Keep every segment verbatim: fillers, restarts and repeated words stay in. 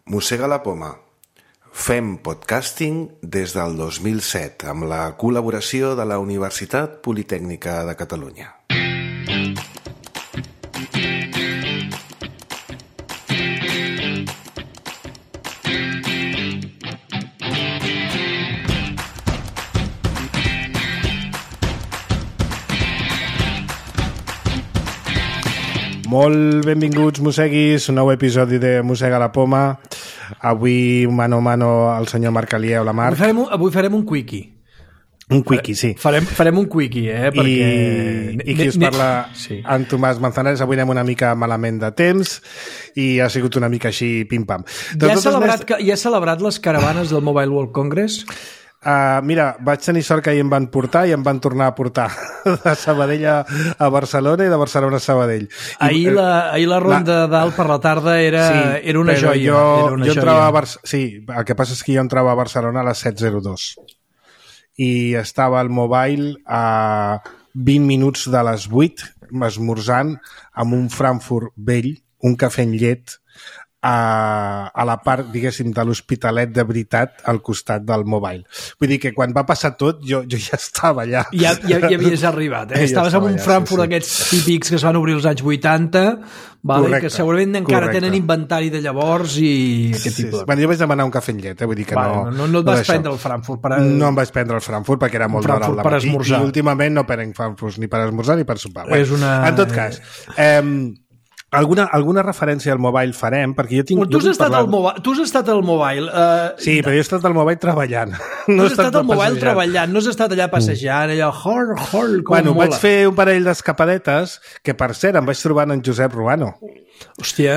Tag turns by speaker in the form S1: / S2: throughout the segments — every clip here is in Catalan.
S1: Mossega la poma. Fem podcasting des del dos mil set amb la col·laboració de la Universitat Politècnica de Catalunya.
S2: Molt benvinguts, mosseguis, un nou episodi de Mossega la poma. Avui, mano a mano, el senyor Marc Alieu, la Marc.
S3: Avui farem un, avui farem un quickie.
S2: Un quickie, sí.
S3: Farem, farem un quickie, eh? Perquè...
S2: I, i qui us parla, sí. En Tomàs Manzanares. Avui anem una mica malament de temps i ha sigut una mica així pim-pam.
S3: Ja ha celebrat, que, ja ha celebrat les caravanes del Mobile World Congress?
S2: Uh, mira, vaig tenir sort que ahir em van portar i em van tornar a portar de Sabadell a, a Barcelona i de Barcelona a Sabadell.
S3: Ahir la, ahir la ronda la... dalt per la tarda era, sí, era una joia.
S2: Jo,
S3: era una
S2: jo
S3: joia.
S2: entrava a Bar... Sí, el que passa és que jo entrava a Barcelona a les set zero dos i estava al Mobile a vint minuts de les vuit esmorzant amb un Frankfurt vell, un cafè amb llet, a, a la part, diguéssim, de l'Hospitalet de veritat al costat del Mobile. Vull dir que quan va passar tot jo, jo ja estava allà.
S3: Ja, ja, ja havies arribat, eh? Estaves ja en un allà, Frankfurt sí, sí. D'aquests típics que es van obrir els anys vuitanta, vale? Correcte, que segurament encara correcte. Tenen inventari de llavors i aquest
S2: sí,
S3: tipus.
S2: Sí. Bueno, jo vaig demanar un cafè amb llet, eh? Vull dir que
S3: vale,
S2: no...
S3: No, no et vas no prendre el Frankfurt per... A...
S2: No em vaig prendre el Frankfurt perquè era molt d'hora al matí i últimament no prenc Frankfurt ni per esmorzar ni per sopar.
S3: És una...
S2: En tot cas... Eh, Alguna, alguna referència al Mobile farem, perquè jo tinc...
S3: Tu has, estat al mobile, tu has estat al Mobile... Uh,
S2: sí, però jo he estat al Mobile treballant.
S3: No has estat al Mobile treballant, no has estat allà passejant, allò, hor, hor, com
S2: bueno,
S3: mola.
S2: Vaig fer un parell d'escapadetes, que per cert em vaig trobar en Josep Ruano.
S3: Hòstia!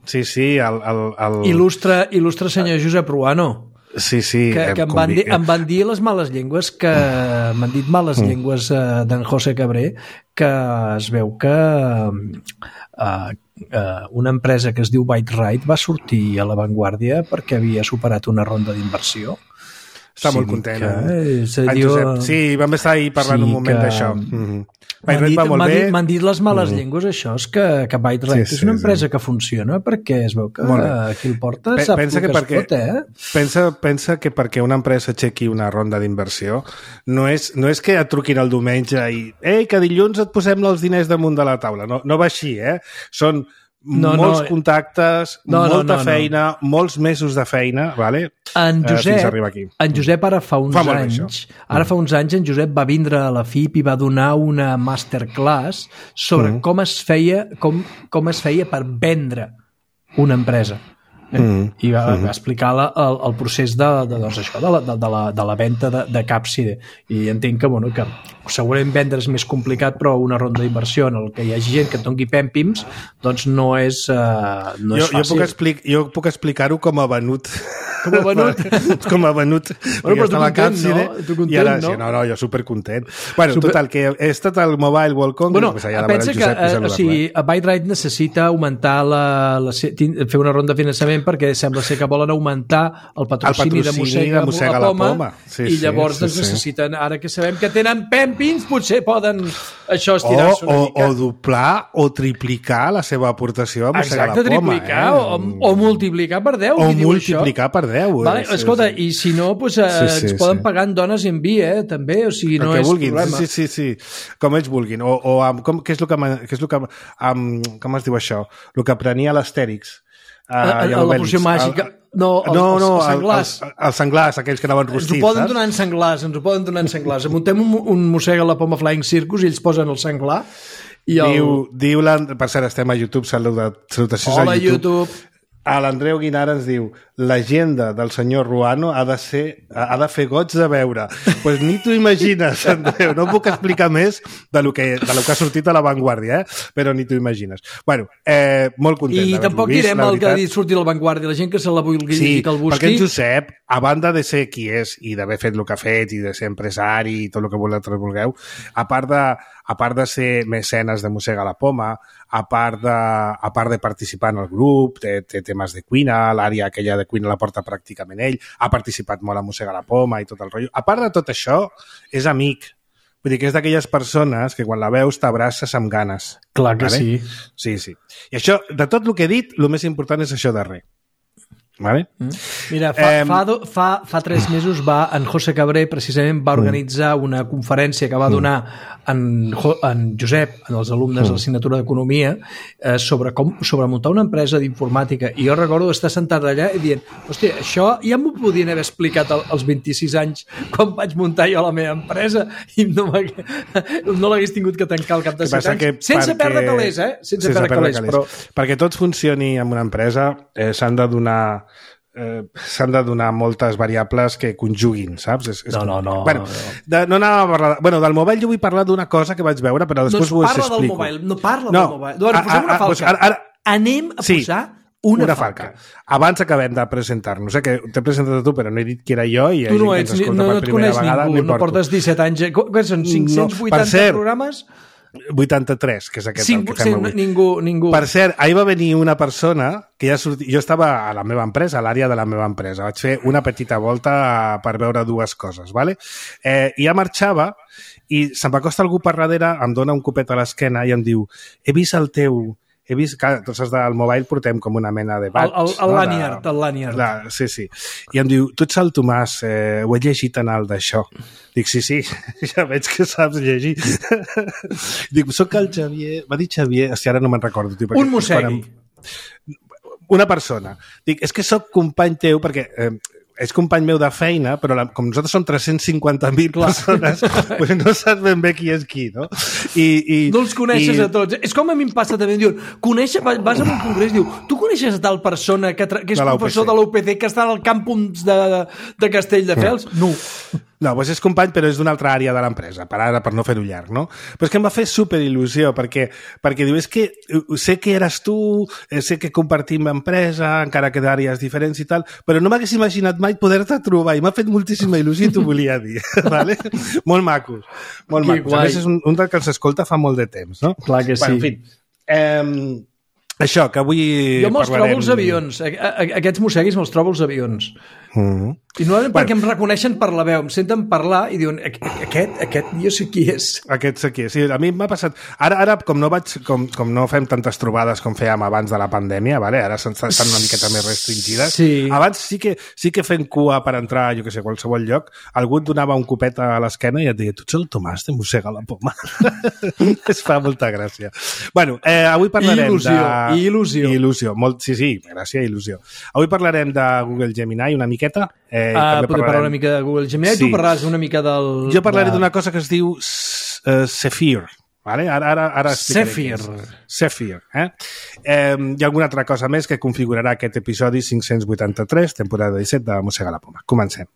S2: Sí, sí, el... el, el...
S3: Il·lustre, il·lustre senyor Josep Ruano.
S2: Sí, sí.
S3: Que, que em, van dir, em van dir les males llengües, que m'han dit males mm. llengües uh, d'en José Cabré, que es veu que... Uh, uh, una empresa que es diu ByteRite va sortir a l'avantguàrdia perquè havia superat una ronda d'inversió.
S2: Està sí, molt content.
S3: Que, eh?
S2: En
S3: diu,
S2: Josep, sí, vam estar ahir parlant sí, un moment d'això. Mm-hmm.
S3: M'han dit, dit, m'han dit les males mm-hmm. llengües, això, és que, que ByteRite sí, sí, és una empresa sí. que funciona perquè es veu que qui el porta P sap pensa que, que perquè, es pot, eh?
S2: Pensa, pensa que perquè una empresa aixequi una ronda d'inversió no és, no és que et truquin el diumenge i ei, que dilluns et posem els diners damunt de la taula. No, no va així, eh? Són No, molts no, contactes, no, molta no, no, feina, no. molts mesos de feina, vale?
S3: En Josep,
S2: uh, fins a arribar aquí.
S3: En Josep ara fa uns fa anys, ara mm. fa uns anys en Josep va vindre a la F I P i va donar una masterclass sobre mm. com es feia com, com es feia per vendre una empresa. Eh? Mm. I va, mm. va explicar la, el, el procés de, de, doncs això, de, la, de, de, la, de la venda de, de Capside. I entenc que, bueno, que segurament vendre és més complicat, però una ronda d'inversió en el que hi hagi gent que et doni pèmpims, doncs no és, uh, no és
S2: jo,
S3: fàcil.
S2: Jo puc, explic, jo puc explicar-ho com a venut.
S3: Com a venut?
S2: com a venut.
S3: Bueno, però tu content, no? Tu content,
S2: I ara,
S3: no?
S2: Sí, no, no, jo supercontent. Bueno, super... total, que he estat al Mobile World Congress,
S3: bueno,
S2: pues allà
S3: pensa que, uh, o sigui, a ByteRite necessita augmentar la, la, fer una ronda de finançament perquè sembla ser que volen augmentar el patrocini, el patrocini de Mossega, de Mossega la Poma, la poma. Sí, i llavors sí, doncs, sí, necessiten, sí. Ara que sabem que tenen pèmpins, potser poden això estirar-se una
S2: o,
S3: mica.
S2: O doblar o triplicar la seva aportació a Mossega
S3: Exacte,
S2: la Poma.
S3: Triplicar,
S2: eh?
S3: o, o multiplicar per deu.
S2: O multiplicar per deu.
S3: Vale,
S2: sí,
S3: escolta,
S2: sí.
S3: I si no, pues, eh, sí, sí, ens poden sí. pagar en dones i en vi, eh, també, o sigui, no és
S2: vulguin.
S3: problema.
S2: Sí, sí, sí, com ells vulguin. O, o amb, com, què és el que, què és el que amb, com es diu això? El que prenia l'Astèrix.
S3: Uh, la poció màgica. No, els,
S2: no, no,
S3: els senglars.
S2: Els, els senglars, aquells que anaven rostits.
S3: Ens ho poden
S2: saps?
S3: donar en senglars, ens ho poden donar en senglars. Muntem un, un Mossega la Poma Flying Circus i ells posen el senglar. I el...
S2: Diu, diu la... Per cert, estem a YouTube, saluda, salutacions
S3: Hola,
S2: a YouTube.
S3: YouTube.
S2: A l'Andreu Guinara ens diu l'agenda del senyor Ruano ha de, ser, ha de fer goig de veure. Doncs pues ni t'ho imagines, Andreu. No puc explicar més de lo que, de lo que ha sortit a l'avantguàrdia, eh? Però ni t'ho imagines. Bueno, eh, molt content
S3: I tampoc vist, direm el que ha dit sortir a l'avantguàrdia. La gent que se la vulgui
S2: sí,
S3: dir que el busqui...
S2: perquè en Josep, a banda de ser qui és i d'haver fet el que ha fet i de ser empresari i tot el que vosaltres vulgueu, a part de, a part de ser mecenes de Mossega la Poma, a part de, a part de participar en el grup, té, té temes de cuina, l'àrea aquella de cuina la porta pràcticament ell, ha participat molt a Mossega la Poma i tot el rotllo. A part de tot això, és amic. Vull dir que és d'aquelles persones que quan la veus t'abraces amb ganes.
S3: Clar que
S2: vale?
S3: sí.
S2: Sí, sí. I això, de tot el que he dit, el més important és això darrer.
S1: Vale?
S3: Mm. Mira, fa, eh, fa, do, fa, fa tres mesos va, en José Cabré precisament va organitzar una conferència que va donar en, en Josep, en els alumnes de l'assignatura d'Economia, eh, sobre com sobre muntar una empresa d'informàtica, i jo recordo estar sentat allà i dient, hòstia, això ja m'ho podien haver explicat als vint-i-sis anys quan vaig muntar jo la meva empresa i no, no l'hagués tingut que tancar al cap de set anys, sense perquè... perdre calés, eh? Sense, sense perdre calés, calés. Però...
S2: Perquè tot funcioni en una empresa eh, s'han de donar Eh, s'han de donar moltes variables que conjuguin, saps? És, és
S3: no, no, no.
S2: Bueno, de, no anava a parlar... Bueno, del mobile jo vull parlar d'una cosa que vaig veure, però després
S3: no
S2: ho explico.
S3: Parla del mobile, no parla no. del mobile. Doncs posem una falca. Doncs ara, ara... Anem a
S2: sí,
S3: posar una,
S2: una
S3: falca.
S2: falca. Abans acabem de presentar-nos, eh, que t'he presentat a tu, però no he dit que era jo i
S3: tu no ets, no, no et coneix
S2: vegada,
S3: ningú, no portes disset anys. Què són, cinc-cents vuitanta no, cert, programes?
S2: vuitanta-tres, que és aquest
S3: Cinc,
S2: el que fem
S3: sí,
S2: avui.
S3: Ningú, ningú.
S2: Per cert, ahir va venir una persona que ja sortia... Jo estava a la meva empresa, a l'àrea de la meva empresa. Vaig fer una petita volta per veure dues coses, ¿vale? Eh, I ja marxava i se'm va acostar algú per darrere, em dona un copet a l'esquena i em diu, he vist el teu... He vist que tots els del mobile portem com una mena de badge.
S3: El, el, el
S2: no?
S3: lanyard, el lanyard.
S2: La, sí, sí. I em diu, tu ets el Tomàs, eh, ho he llegit en el d'això. Dic, sí, sí, ja veig que saps llegir. Dic, soc el Xavier... Va dir Xavier, hòstia, ara no me'n recordo. Tio,
S3: un mossegui.
S2: Em... Una persona. Dic, és que soc company teu perquè... Eh, és company meu de feina, però la, com nosaltres som tres-cents cinquanta mil persones, pues no saps ben bé qui és qui, no? I, i,
S3: no els coneixes
S2: i...
S3: a tots. És com a mi em passa també, em diuen, coneixes, vas a un congrés i diu, tu coneixes a tal persona que, que és de professor de l'U P C, que està al campus de, de, de Castelldefels? No.
S2: No, doncs és company, però és d'una altra àrea de l'empresa, per ara, per no fer-ho llarg, no? Però és que em va fer superil·lusió, perquè, perquè diu, és que sé que eres tu, sé que compartim empresa, encara que d'àrees diferents i tal, però no m'hagués imaginat mai poder-te trobar, i m'ha fet moltíssima il·lusió i t'ho volia dir, ¿vale? Molt macos, molt macos. A més, és un, un del que ens escolta fa molt de temps, no?
S3: Clar que sí.
S2: Bueno, en fi, eh, això, que avui
S3: jo me'ls
S2: parlarem...
S3: trobo als avions. Aquests mosseguis me'ls trobo als avions.
S2: Mm-hmm.
S3: I no bueno. perquè em reconeixen per la veu, em senten parlar i diuen, aquest, aquest jo sé qui és.
S2: Aquest sé qui és. Sí, a mi m'ha passat... Ara, ara com, no vaig, com, com no fem tantes trobades com fèiem abans de la pandèmia, vale? Ara estan una miqueta més restringides.
S3: Sí.
S2: Abans sí que, sí que fent cua per entrar, jo que sé, a qualsevol lloc, algú et donava un copet a l'esquena i et deia, tu ets el Tomàs de Mossega la Poma. Es fa molta gràcia. Bueno, eh, avui parlarem
S3: il·lusió,
S2: de...
S3: Il·lusió.
S2: Il·lusió. Molt... Sí, sí, gràcia, il·lusió. Avui parlarem de Google Gemini una miqueta.
S3: Eh, uh, podem parlar una mica de Google Gemini. Sí. Tu parlaràs una mica del...
S2: Jo parlaré
S3: de...
S2: d'una cosa que es diu uh, Zephyr. Vale? Ara, ara, ara
S3: Zephyr.
S2: Zephyr. Eh? Eh, hi ha alguna altra cosa més que configurarà aquest episodi cinc-cents vuitanta-tres, temporada disset de Mossega la Poma. Comencem.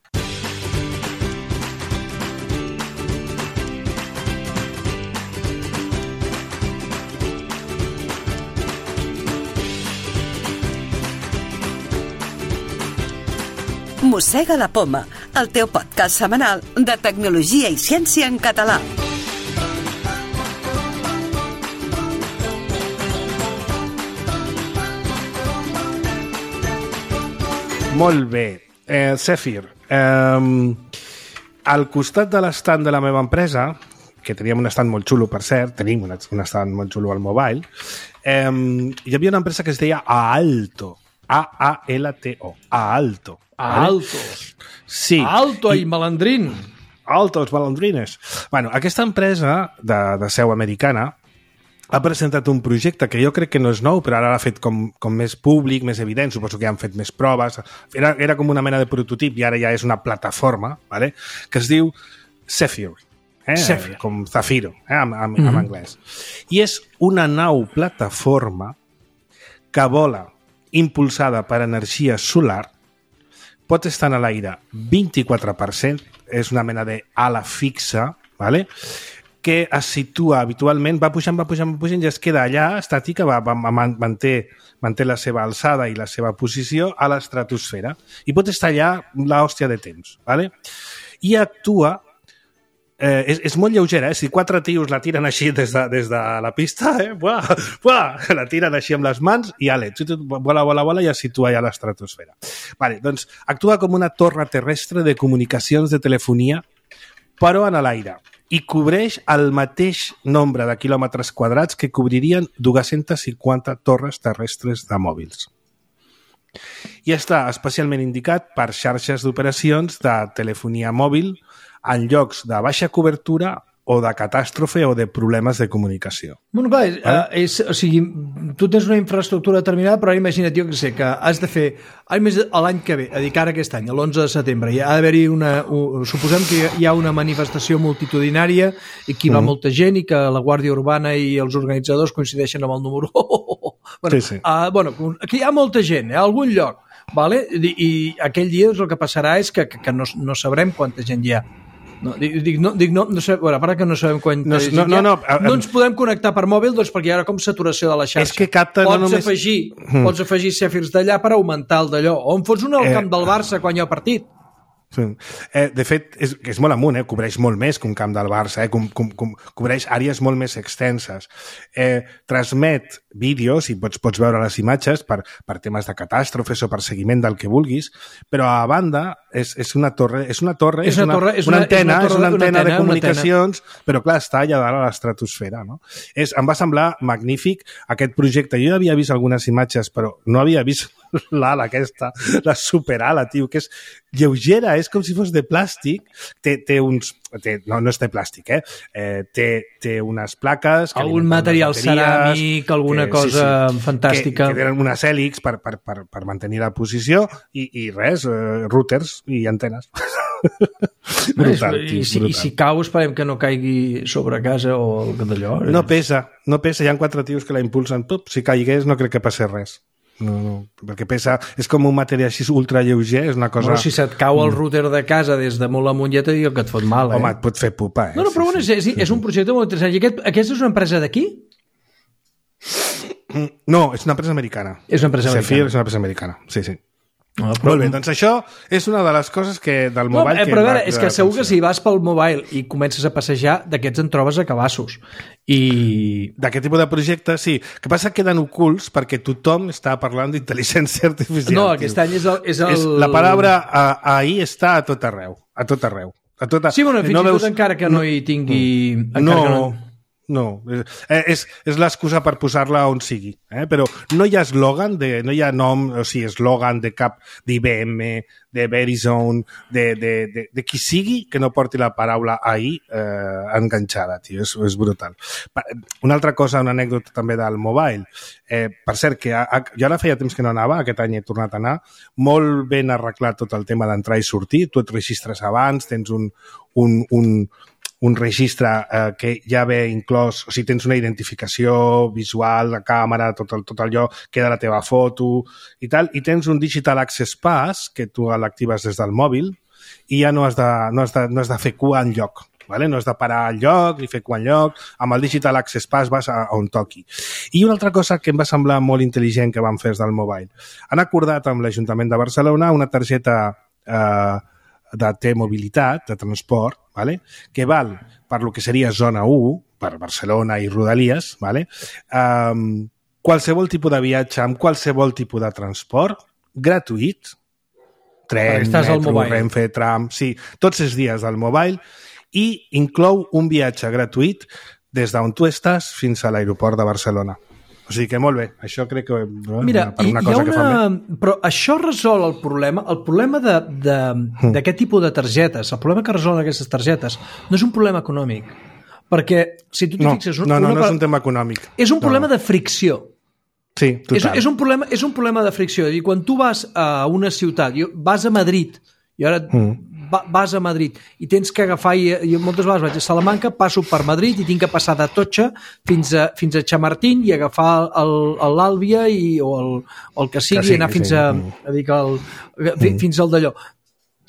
S4: Mossega la Poma, el teu podcast setmanal de tecnologia i ciència en català.
S2: Molt bé. Eh, Zephyr. Eh, al costat de l'estand de la meva empresa, que teníem un estand molt xulo, per cert, tenim un estand molt xulo al mobile, eh, hi havia una empresa que es deia Aalto. A A L T O. Aalto.
S3: Aalto.
S2: Sí.
S3: Aalto i malandrín.
S2: Altos malandrines. Bueno, aquesta empresa de, de seu americana ha presentat un projecte que jo crec que no és nou, però ara l'ha fet com, com més públic, més evident, suposo que ja han fet més proves. Era, era com una mena de prototip i ara ja és una plataforma, ¿vale? Que es diu Zephyr. Eh?
S3: Zephyr.
S2: Com Zafiro, eh? en, en, mm-hmm. en anglès. I és una nau plataforma que vola impulsada per energia solar, pot estar en l'aire vint-i-quatre per cent, és una mena d'ala fixa, ¿vale? Que es situa habitualment, va pujant, va pujant, va pujant, i es queda allà, estàtica, va, va, manté, manté la seva alçada i la seva posició a l'estratosfera. I pot estar allà l'hòstia de temps, ¿vale? I actua... Eh, és, és molt lleugera, eh? Si quatre tios la tiren així des de, des de la pista, eh? Buah, buah, la tiren així amb les mans i ale, vola, vola, vola i es situa ja a l'estratosfera. Vale, doncs actua com una torre terrestre de comunicacions de telefonia, però en l'aire, i cobreix el mateix nombre de quilòmetres quadrats que cobririen dues-centes cinquanta torres terrestres de mòbils. i està especialment indicat per xarxes d'operacions de telefonia mòbil en llocs de baixa cobertura o de catàstrofe o de problemes de comunicació.
S3: Bueno, clar, és, vale? és, o sigui, tu tens una infraestructura determinada, però ara imagina't, jo que sé, que has de fer, l'any que ve, a dir, ara aquest any, l'onze de setembre, hi ha d'haver-hi una, un, suposem que hi ha una manifestació multitudinària i que hi va mm. molta gent i que la Guàrdia Urbana i els organitzadors coincideixen amb el número... Oh, oh, oh. Bueno,
S2: sí, sí.
S3: Uh, bueno, que hi ha molta gent, eh, a algun lloc, vale? I, i aquell dia el que passarà és que, que, que no, no sabrem quanta gent hi ha. No, dic, no, dic, no, no sé, bueno, para que no sabem quan
S2: no, no, no, no,
S3: no ens podem connectar per mòbil, doncs perquè hi ha com saturació de la xarxa.
S2: És que capta
S3: pots,
S2: no només...
S3: afegir, mm. pots afegir Cefirs d'allà per augmentar el d'allò, o en fots un al eh... camp del Barça quan hi ha partit.
S2: Sí. Eh, de fet, és, és molt amunt, eh? Cobreix molt més que un camp del Barça, eh? com, com, com, cobreix àrees molt més extenses. Eh, transmet vídeos i pots, pots veure les imatges per, per temes de catàstrofes o per seguiment del que vulguis, però a banda és, és una torre, és una torre, és, és, una, torre, és una, una antena, és una, torre, és una antena, una antena de comunicacions, però clar, està allà dalt a l'estratosfera, no? És, em va semblar magnífic aquest projecte. Jo havia vist algunes imatges, però no havia vist l'ala aquesta, la superala, tio, que és lleugera, és com si fos de plàstic, té, té uns... Té, no, no és de plàstic, eh? eh té, té unes plaques...
S3: Algun material ceràmic, alguna que, cosa sí, sí, fantàstica.
S2: Que, que tenen unes hèlix per, per, per, per mantenir la posició i, i res, eh, routers i antenes. Brutal,
S3: I,
S2: tio,
S3: i, si,
S2: brutal.
S3: I si cau esperem que no caigui sobre casa o d'allò.
S2: No pesa, no pesa, hi ha quatre tios que la impulsen. Pup, si caigués no crec que passi res. No, no, perquè pesa, és com un material així ultra lleuger, és una cosa...
S3: Bueno, si se't cau el router de casa des de molt amunt ja te dic que et fot mal, eh?
S2: Home, et pot fer pupa, eh?
S3: No, no, però
S2: sí,
S3: bueno,
S2: sí,
S3: és,
S2: sí,
S3: és un projecte molt interessant. I aquest, aquesta és una empresa d'aquí?
S2: No, és una empresa americana.
S3: És una empresa americana.
S2: Zephyr és una empresa americana, sí, sí.
S3: No, però...
S2: Molt bé, doncs això és una de les coses que del
S3: no,
S2: mobile...
S3: Eh, però a veure,
S2: que
S3: és que segur que si vas pel mobile i comences a passejar, d'aquests en trobes a cabassos. I...
S2: D'aquest tipus de projectes, sí. Que passa que queden ocults perquè tothom està parlant d'intel·ligència artificial.
S3: No, aquest
S2: tio.
S3: any és el... És el...
S2: És, la paraula a, ahir està a tot arreu. A tot arreu. A tot a...
S3: Sí, bueno, fins
S2: no
S3: i tot
S2: veus...
S3: encara que no hi tingui...
S2: No, no, no. No, és, és l'excusa per posar-la on sigui, eh? Però no hi ha eslògan, de, no hi ha nom, o sigui, eslògan de cap d'I B M, de Verizon, de, de, de, de qui sigui que no porti la paraula ahir eh, enganxada, tio, és, és brutal. Una altra cosa, una anècdota també del mobile, eh, per cert, que a, a, jo ara feia temps que no anava, aquest any he tornat a anar, molt ben arreglat tot el tema d'entrar i sortir, tu et registres abans, tens un, un, un un registre eh, que ja ve inclòs, o sigui, tens una identificació visual, la càmera, tot, el, tot allò, queda la teva foto i tal, i tens un Digital Access Pass que tu l'actives des del mòbil i ja no has de, no has de, no has de fer cua enlloc. Vale? No has de parar al lloc ni fer cua enlloc, amb el Digital Access Pass vas a, a on toqui. I una altra cosa que em va semblar molt intel·ligent que van fer des del mobile. Han acordat amb l'Ajuntament de Barcelona una targeta eh, de T-mobilitat, de transport, vale? Que val per lo que seria zona u, per Barcelona i Rodalies, vale? Um, qualsevol tipus de viatge amb qualsevol tipus de transport, gratuït, tren, metro, Renfe, tram, sí, tots els dies del mobile, i inclou un viatge gratuït des d'on tu estàs fins a l'aeroport de Barcelona. O sigui que molt bé, això crec que... Eh,
S3: Mira,
S2: per una cosa
S3: hi ha una...
S2: que fan bé.
S3: Però això resol el problema, el problema d'aquest mm. tipus de targetes, el problema que resolen aquestes targetes no és un problema econòmic, perquè si tu t'hi
S2: no,
S3: fixes...
S2: No, no,
S3: una...
S2: no és un tema econòmic.
S3: És un problema
S2: no.
S3: de fricció.
S2: Sí, total.
S3: És, és, un problema, és un problema de fricció. És a dir, quan tu vas a una ciutat, vas a Madrid, i ara mm. vas a Madrid i tens que agafar, i, i moltes vegades vaig a Salamanca, passo per Madrid i tinc que passar de Totxa fins a, fins a Chamartín i agafar l'Àlvia i, o, el, o el que sigui, que sí, i anar que fins, sí. a, a dir que el, mm. fins al d'allò.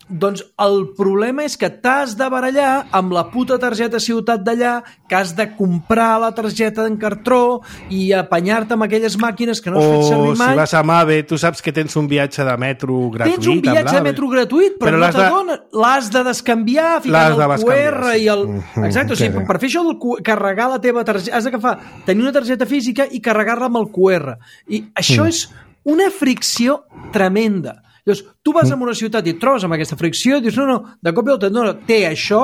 S3: Doncs el problema és que t'has de barallar amb la puta targeta ciutat d'allà, que has de comprar la targeta en cartró i apanyar-te amb aquelles màquines que no has fet servir mai.
S2: O si vas a Mave, tu saps que tens un viatge de metro gratuït.
S3: Tens un viatge de metro gratuït, però, però no t'adona. De... L'has de descanviar, ficant el Q R i el... Exacte, o sigui, per fer això, del carregar la teva targeta, has d'agafar, tenir una targeta física i carregar-la amb el Q R. I això mm. és una fricció tremenda. Llavors, tu vas a una ciutat i et trobes amb aquesta fricció i dius, no, no, de cop i volta, no, no, té això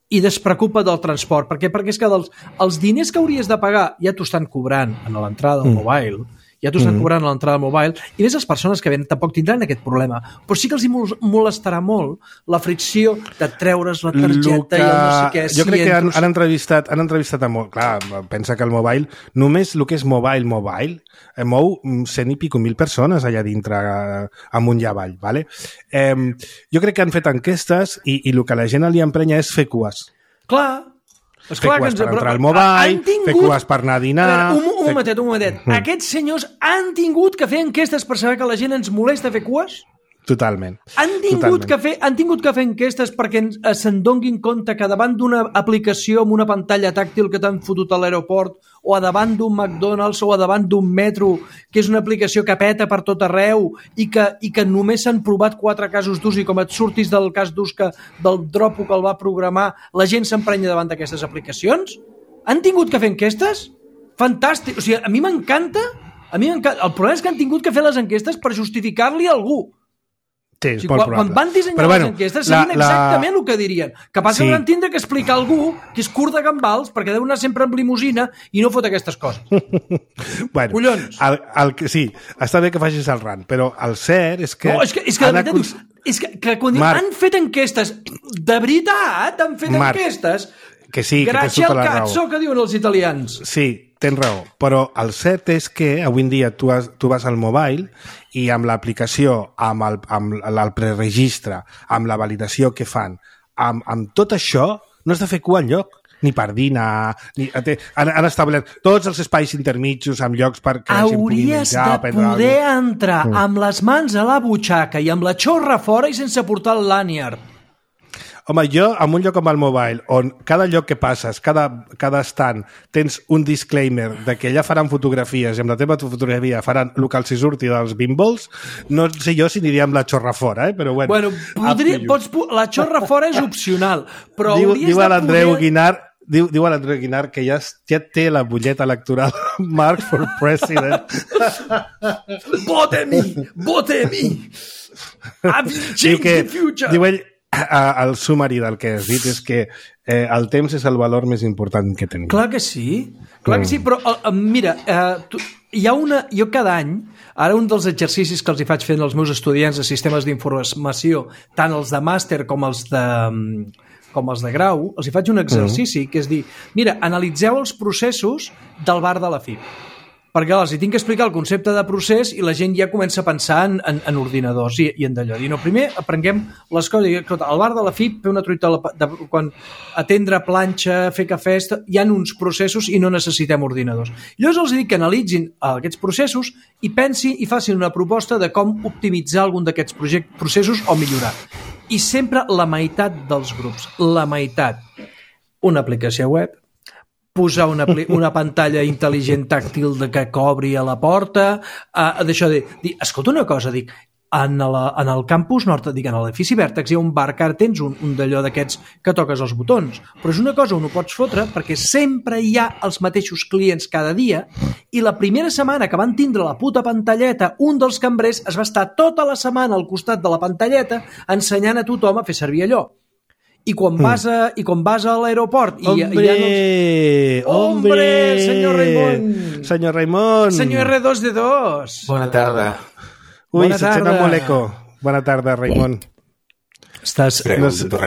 S3: i despreocupa del transport. Per què? Perquè és que dels, els diners que hauries de pagar ja t'ho estan cobrant en l'entrada del mobile ja t'ho estan cobrant a l'entrada al mobile, i més les persones que venen tampoc tindran aquest problema, però sí que els hi molestarà molt la fricció de treure's la targeta que... i el no sé què.
S2: Jo crec que han, han entrevistat, han entrevistat a molt... Clar, pensa que el mobile, només el que és mobile, mobile, mou cent i pico mil persones allà dintre, amunt i avall, ¿vale? Eh, jo crec que han fet enquestes i, i el que la gent li emprenya és fer cues.
S3: Clar,
S2: és fer clar cues que ens... per entrar al mobile, tingut... fer cues per anar a dinar... A
S3: veure, un, un fer... momentet, un momentet. Mm. Aquests senyors han tingut que fer enquestes per saber que la gent ens molesta fer cues?
S2: Totalment.
S3: Han tingut,
S2: Totalment.
S3: Que fer, han tingut que fer enquestes perquè se'n donguin compte que davant d'una aplicació amb una pantalla tàctil que t'han fotut a l'aeroport o a davant d'un McDonald's o a davant d'un metro, que és una aplicació que peta per tot arreu i que, i que només s'han provat quatre casos d'ús i com et surtis del cas d'ús que, del dropo que el va programar, la gent s'emprenya davant d'aquestes aplicacions? Han tingut que fer enquestes? Fantàstic. O sigui, a mi m'encanta, a mi m'encanta. El problema és que han tingut que fer les enquestes per justificar-li a algú.
S2: Sí, és
S3: o sigui,
S2: molt
S3: quan,
S2: probable.
S3: quan van dissenyar
S2: però, bueno,
S3: les enquestes sabien la, exactament la... el que dirien. Capaç sí. que hauran tindre que explicar a algú que és curt de gambals perquè deu anar sempre amb limusina i no fot aquestes coses.
S2: bueno,
S3: Collons.
S2: El, el, sí, està bé que facis el rant, però el cert és que...
S3: No, és que, és que, de veritat, acus... és que, que quan Marc, han fet enquestes, de veritat, han fet
S2: Marc,
S3: enquestes,
S2: que sí, que
S3: grazie al cazzo que diuen els italians.
S2: Sí, tens raó, però el cert és que avui en dia tu, has, tu vas al mobile i amb l'aplicació, amb el, amb el preregistre, amb la validació que fan, amb, amb tot això, no has de fer cua enlloc, ni per dinar, ni, han, han establert tots els espais intermitjos amb llocs per que la gent pugui menjar.
S3: Hauries de poder entrar mm. amb les mans a la butxaca i amb la xorra fora i sense portar el lanyard.
S2: Home, jo, en un lloc com el mobile, on cada lloc que passes, cada, cada stand, tens un disclaimer de que allà faran fotografies i amb la teva fotografia faran el que els hi surti dels bimbols, no sé jo si aniria amb la xorra fora, eh? Però bueno.
S3: Bueno, podria, pots, la xorra fora és opcional, però
S2: diu,
S3: hauries
S2: diu
S3: de
S2: l'Andreu
S3: poder...
S2: Guinar, diu, diu a l'Andreu Guinar que ja, ja té la butlleta electoral Mark for President.
S3: Vote me! Vote me! I've changed the future!
S2: Diu ell, el sumari del que has dit és que eh, el temps és el valor més important que tenim.
S3: Clar que sí, clar que sí, però uh, mira, uh, tu, hi ha una, jo cada any, ara un dels exercicis que els hi faig fent als meus estudiants de sistemes d'informació, tant els de màster com els de, com els de grau, els hi faig un exercici, mm. que és dir, mira, analitzeu els processos del bar de la F I P. Perquè els hi tinc que explicar el concepte de procés i la gent ja comença a pensar en, en, en ordinadors i, i en d'allò. I no, primer aprenguem les coses. Al bar de la F I P, fer una truita de, de, quan atendre planxa, fer cafès, hi ha uns processos i no necessitem ordinadors. Llavors els dic que analitzin aquests processos i pensin i facin una proposta de com optimitzar algun d'aquests processos o millorar. I sempre la meitat dels grups, la meitat, una aplicació web, posar una, una pantalla intel·ligent tàctil de que cobri a la porta, uh, d'això de dir, escolta una cosa, dic, en, la, en el campus nord, dic, en l'edifici Vèrtex hi ha un bar que ara tens un, un d'allò d'aquests que toques els botons, però és una cosa on ho pots fotre perquè sempre hi ha els mateixos clients cada dia i la primera setmana que van tindre la puta pantalleta, un dels cambrers es va estar tota la setmana al costat de la pantalleta ensenyant a tothom a fer servir allò. I quan vas a, i quan vas a l'aeroport i
S2: hombre,
S3: hi ha els...
S2: hombre,
S3: senyor Raimon,
S2: senyor Raimon,
S3: senyor erre dos de dos.
S5: Bona tarda.
S2: Ui,
S3: Bona
S2: se't sent molt eco. Bona tarda, Raimon.
S3: Estàs...
S5: No sé...
S3: Deus,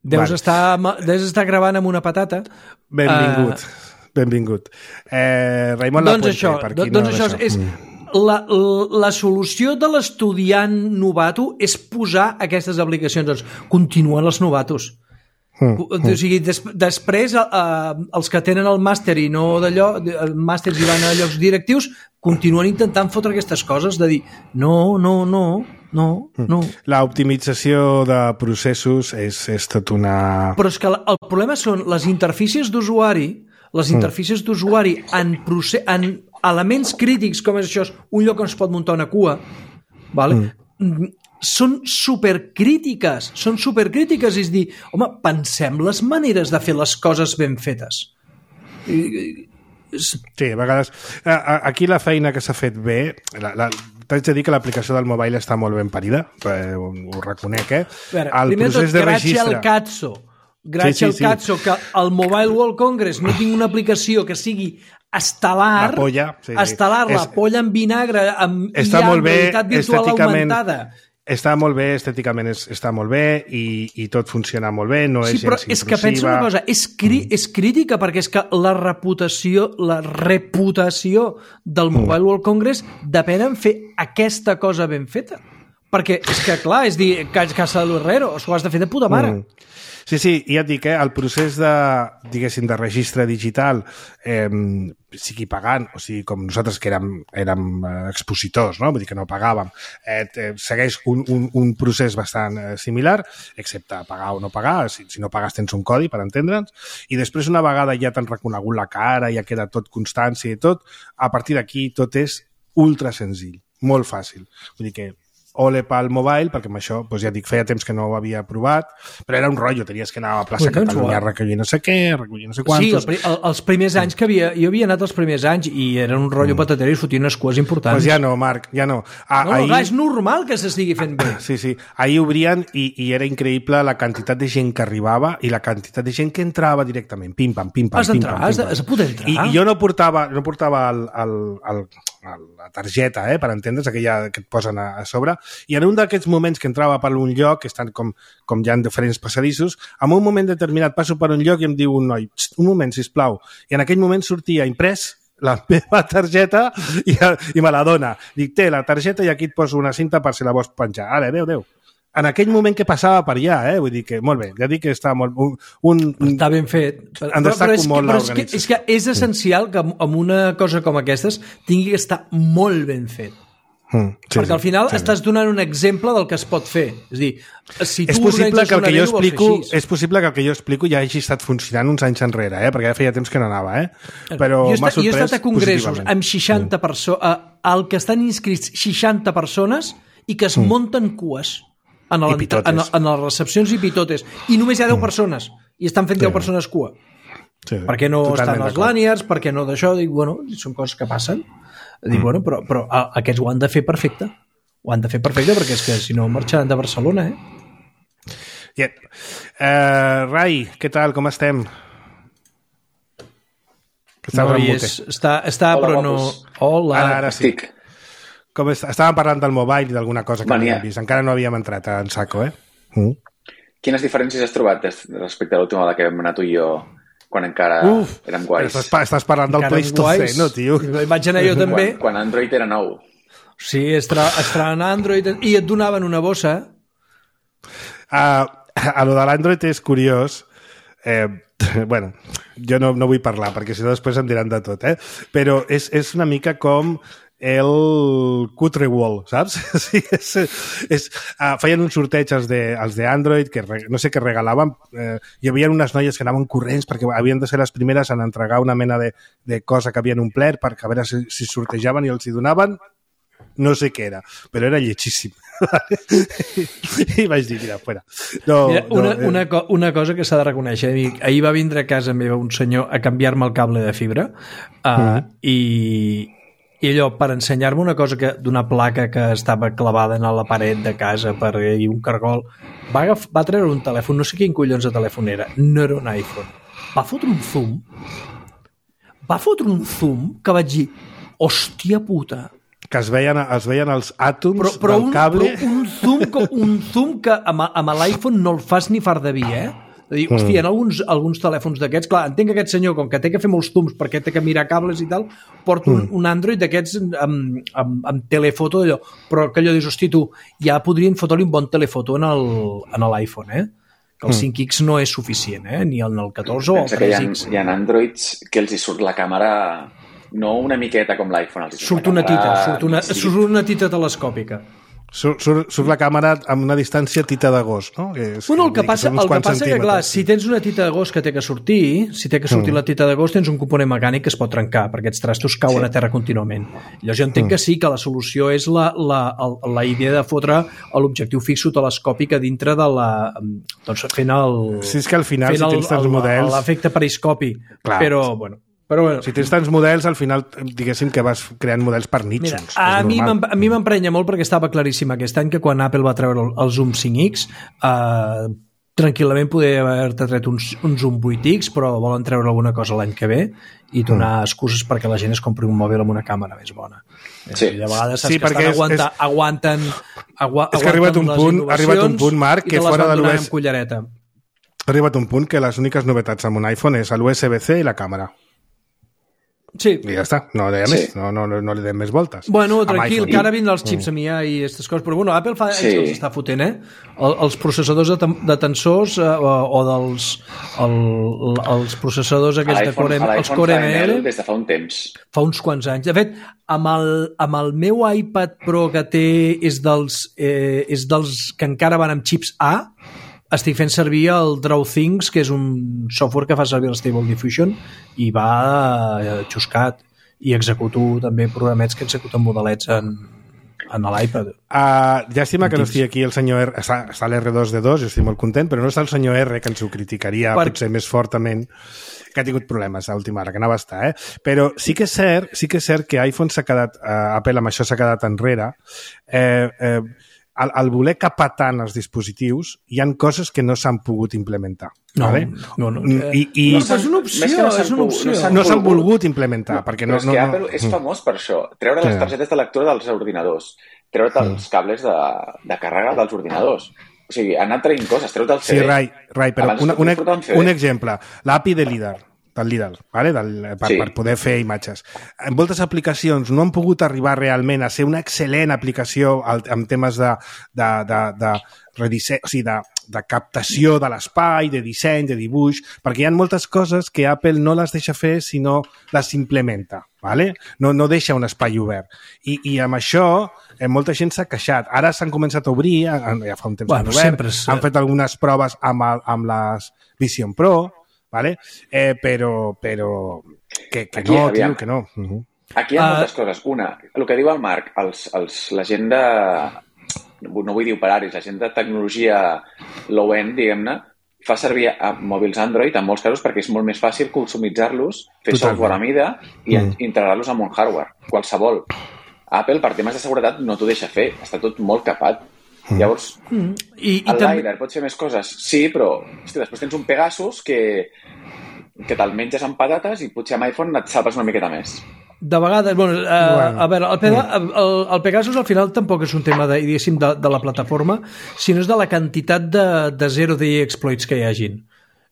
S3: vale. estar, deus estar gravant amb una patata.
S2: Benvingut, uh... benvingut. Eh, Raimon
S3: doncs
S2: Lapuente,
S3: això,
S2: per qui
S3: doncs
S2: no
S3: això és... La, la, la solució de l'estudiant novato és posar aquestes aplicacions. Doncs continuen els novatos. Mm, mm. O sigui, des, després eh, els que tenen el màster i no d'allò, els màsters i van a llocs directius, continuen intentant fotre aquestes coses de dir no, no, no, no, no.
S2: La optimització de processos és, és tot una...
S3: Però és que el problema són les interfícies d'usuari, les interfícies mm. d'usuari en, proce- en elements crítics com és això, un lloc on es pot muntar una cua, vale? Mm. són supercrítiques, són supercrítiques, és dir, home, pensem les maneres de fer les coses ben fetes.
S2: Sí, a vegades... Aquí la feina que s'ha fet bé... La, la, t'haig de dir que l'aplicació del mobile està molt ben parida, eh, ho, ho reconec, eh?
S3: Veure, el primer procés tot, de gràcies registre... al Katso, gràcies sí, sí, al Katso, sí. que el Mobile World Congress no tingui una aplicació que sigui estel·lar,
S2: la polla, sí, sí.
S3: estel·lar, la
S2: és,
S3: polla en vinagre, amb
S2: està
S3: I A,
S2: molt bé,
S3: realitat virtual augmentada.
S2: Està molt bé, estèticament és, està molt bé i, i tot funciona molt bé, no
S3: sí,
S2: és gens
S3: intrusiva. És que pensa una cosa, és, cri, mm. és crítica perquè és que la reputació, la reputació del Mobile mm. World Congress depèn en fer aquesta cosa ben feta. Perquè és que, clar, és dir, casa de l'herrero, ho has de fer de puta mare. Mm.
S2: Sí, sí, ja et dic, eh, el procés de, diguéssim, de registre digital, eh, sigui pagant, o sigui, com nosaltres que érem, érem expositors, no? Vull dir que no pagàvem, eh, segueix un, un, un procés bastant eh, similar, excepte pagar o no pagar, si, si no pagues tens un codi, per entendre'ns, i després una vegada ja t'han reconegut la cara, ja queda tot constància i tot, a partir d'aquí tot és ultra senzill, molt fàcil. Vull dir que ole pel mobile, perquè amb això, doncs ja dic, feia temps que no ho havia provat, però era un rotllo, tenies que anar a la plaça
S3: Ui,
S2: Catalunya a recollir no sé què, a recollir no sé quantos...
S3: Sí, el, els primers anys que havia... Jo havia anat els primers anys i era un rotllo mm. patatero i fotien unes cues importants.
S2: Doncs pues ja no, Marc, ja no. Ah,
S3: no,
S2: ahir...
S3: clar, és normal que s'estigui fent bé.
S2: Sí, sí. Ahir obrien i, i era increïble la quantitat de gent que arribava i la quantitat de gent que entrava directament. Pim-pam, pim-pam,
S3: has
S2: pim-pam.
S3: Has d'entrar, has de poder entrar.
S2: I, i jo no portava, no portava el, el, el, el, la targeta, eh, per entendre's, aquella que et posen a, a sobre, i en un d'aquests moments que entrava per un lloc, que estan com, com hi ha diferents passadissos, en un moment determinat passo per un lloc i em diu un noi, un moment, sisplau, i en aquell moment sortia imprès la meva targeta i, i me la dona. Dic, té la targeta i aquí et poso una cinta per si la vols penjar. Ara, adéu, adéu. En aquell moment que passava per allà, eh? Vull dir que, molt bé, ja dic que està molt... Un, un,
S3: està ben fet.
S2: Però, en destaco però molt
S3: l'organització. És, és que és essencial que amb una cosa com aquestes tingui que estar molt ben fet. Mm, sí, perquè al final sí, estàs donant un exemple del que es pot fer. És dir, si tu
S2: és possible que el que jo explico, és
S3: així.
S2: possible que el que jo explico ja hagi estat funcionant uns anys enrere, eh? Perquè ja feia temps que no anava, eh? Però m'ha sorprès positivament. Jo he estat a congressos amb seixanta mm. persones, al que estan inscrits seixanta persones i que es mm. munten cues en, el, en, en les recepcions i pitotes. I només hi ha deu mm. persones i estan fent sí. deu persones cua. Sí, per què no estan els lanyards, per què no d'això? Dic, bueno, són coses que passen. Dic, bueno, però, però aquests ho han de fer perfecte. Ho han de fer perfecte perquè és que si no marxaran de Barcelona, eh? Yeah. Uh, Rai, què tal? Com estem?
S3: Està no, és, està, està Hola, però no... Hola.
S2: Ara, ara sí. Estic. Com est... Estàvem parlant del mobile i d'alguna cosa que Mania. havíem vist. Encara no havíem entrat en saco, eh? Mm.
S5: Quines diferències has trobat respecte a l'última vegada que vam anar tu i jo quan encara Uf, érem guais?
S2: Estàs, estàs parlant del Pleistocè, no, tio?
S3: Vaig anar jo també.
S5: Quan, quan Android era nou.
S3: Sí, estaven a Android i et donaven una bossa.
S2: Uh, a lo de l'Android és curiós. Eh, bueno, jo no, no vull parlar perquè si no després em diran de tot, eh? Però és, és una mica com el cutre wall, saps? Sí, és, és, uh, feien un sorteig els de, els de Android que re, no sé què regalaven, eh, hi havia unes noies que anaven corrents perquè havien de ser les primeres en entregar una mena de, de cosa que havien omplert perquè a veure si, si sortejaven i els hi donaven no sé què era, però era lletjíssim. I vaig dir, mira, fora. No,
S3: mira, una,
S2: no, eh.
S3: una, co una cosa que s'ha de reconèixer, ahir va vindre a casa meva un senyor a canviar-me el cable de fibra uh, mm. i i allò, per ensenyar-me una cosa que d'una placa que estava clavada en la paret de casa per i un cargol, va, va treure un telèfon, no sé quin collons de telèfon era, no era un iPhone, va fotre un zoom va fotre un zoom que vaig dir, hòstia puta,
S2: que es veien, es veien els àtoms
S3: però, però
S2: del
S3: un,
S2: cable
S3: però un zoom, que, un zoom que amb, amb l'iPhone no el fas ni far de vi, eh? De dir, hòstia, en alguns, alguns telèfons d'aquests, clar, entenc que aquest senyor, com que té que fer molts zooms perquè té que mirar cables i tal, porta un, mm. un Android d'aquests amb, amb, amb telefoto d'allò, però que allò dius, hosti, tu, ja podrien fotre-li un bon telefoto en l'iPhone, eh? Que el mm. cinc X no és suficient, eh? Ni en el catorze o el tres X.
S5: Hi ha, hi ha Androids que els hi surt la càmera no una miqueta com l'iPhone.
S3: Surt una tita, surt una, surt una tita telescòpica.
S2: Surt, surt, surt la càmera amb una distància tita de gos, no? Que és,
S3: bueno, el que passa, el que passa que, clar, si tens una tita de gos que té que sortir, si té que sortir mm. la tita de gos, tens un component mecànic que es pot trencar, perquè aquests trastos cauen sí. a terra contínuament. Llavors jo entenc mm. que sí, que la solució és la, la, la, la idea de fotre l'objectiu fixo telescòpic a dintre de la... doncs fent el...
S2: Sí, és que al final, si tens tants models...
S3: L'efecte periscopi, clar. Però, bueno... Però bueno.
S2: Si tens tants models, al final, diguéssim que vas creant models per nítxols.
S3: Mira, a mi, a mi m'emprenya molt perquè estava claríssim aquest any que quan Apple va treure el, el Zoom cinc X, eh, tranquil·lament poder haver-te tret uns, uns Zoom vuit X, però volen treure alguna cosa l'any que ve i donar mm. excuses perquè la gent es compri un mòbil amb una càmera més bona.
S5: Sí.
S3: I de vegades saps
S2: sí,
S3: que estan
S2: és,
S3: aguanta,
S2: és,
S3: aguanten, agua,
S2: és que ha arribat un punt, ha arribat un punt, Marc, que fora de l'U S B C... Ha arribat un punt que les úniques novetats amb un iPhone és l'U S B C i la càmera.
S3: Sí.
S2: I ja està, no deia sí. més, no, no, no li dem més voltes.
S3: Bueno, tranquil, que ara vindran els xips mm. a mi i aquestes coses, però bueno, Apple fa sí. els està fotent, eh? El, els processadors de, de tensors eh, o, o dels el, els processadors aquests de Core, els Core M L
S5: des de fa un temps.
S3: Fa uns quants anys. De fet, amb el, amb el meu iPad Pro que té és dels, eh, és dels que encara van amb xips A, estic fent servir el DrawThings, que és un software que fa servir el Stable Diffusion i va eh, xuscat, i executo també programets que executen modelets en, en l'iPad.
S2: Uh, llàstima que no estigui aquí el senyor R, està, està l'R dos D dos, jo estic molt content, però no està el senyor R, que ens ho criticaria per... potser més fortament, que ha tingut problemes a última hora, que anava a estar, eh? Però sí que és cert, sí que és cert que iPhone s'ha quedat, uh, Apple amb això s'ha quedat enrere, eh, eh, Al, al voler capar tant els dispositius, hi han coses que no s'han pogut implementar.
S3: No,
S2: vale?
S3: no, no.
S2: I, i,
S3: no és una opció, no és una opció.
S2: No s'han no volgut, volgut implementar.
S5: No,
S2: perquè
S5: no,
S2: no,
S5: és
S2: no,
S5: que
S2: no,
S5: Apple
S2: no.
S5: és famós per això. Treure les targetes de lectura dels ordinadors. Treure els cables de, de càrrega dels ordinadors. O sigui, han anat traient coses. Treure el C D.
S2: Sí, Rai, Rai però una, una, un exemple. L'A P I de LiDAR. del LiDAR, vale? del, per, sí. per poder fer imatges. En moltes aplicacions no han pogut arribar realment a ser una excel·lent aplicació en temes de, de, de, de, redisse... o sigui, de, de captació de l'espai, de disseny, de dibuix, perquè hi ha moltes coses que Apple no les deixa fer si no les implementa. Vale? No, no deixa un espai obert. I, i amb això eh, molta gent s'ha queixat. Ara s'han començat a obrir, ja fa un temps
S3: bueno,
S2: que han obert,
S3: és...
S2: han fet algunes proves amb, el, amb les Vision Pro, vale? eh, però, però que, que
S5: Aquí,
S2: no,
S5: aviam.
S2: tio, que no. Uh -huh.
S5: Aquí hi ha uh... moltes coses. Una, el que diu el Marc, els, els, la gent de... no vull dir operaris, la gent de tecnologia low-end, diguem-ne, fa servir a mòbils Android en molts casos perquè és molt més fàcil customitzar-los, fer Totalment. software a mida i mm. integrar-los amb un hardware, qualsevol. Apple, per temes de seguretat, no t'ho deixa fer. Està tot molt capat. Mm. Llavors, mm. I, i el també... LiDAR pot fer més coses? Sí, però hosti, després tens un Pegasus que, que te'l menges amb patates i potser amb iPhone et salves una miqueta més.
S3: De vegades, bueno, uh, bueno. a veure, el, Pega, el, el Pegasus al final tampoc és un tema de, diguéssim, de, de la plataforma, sinó és de la quantitat de, de zero-day exploits que hi hagin.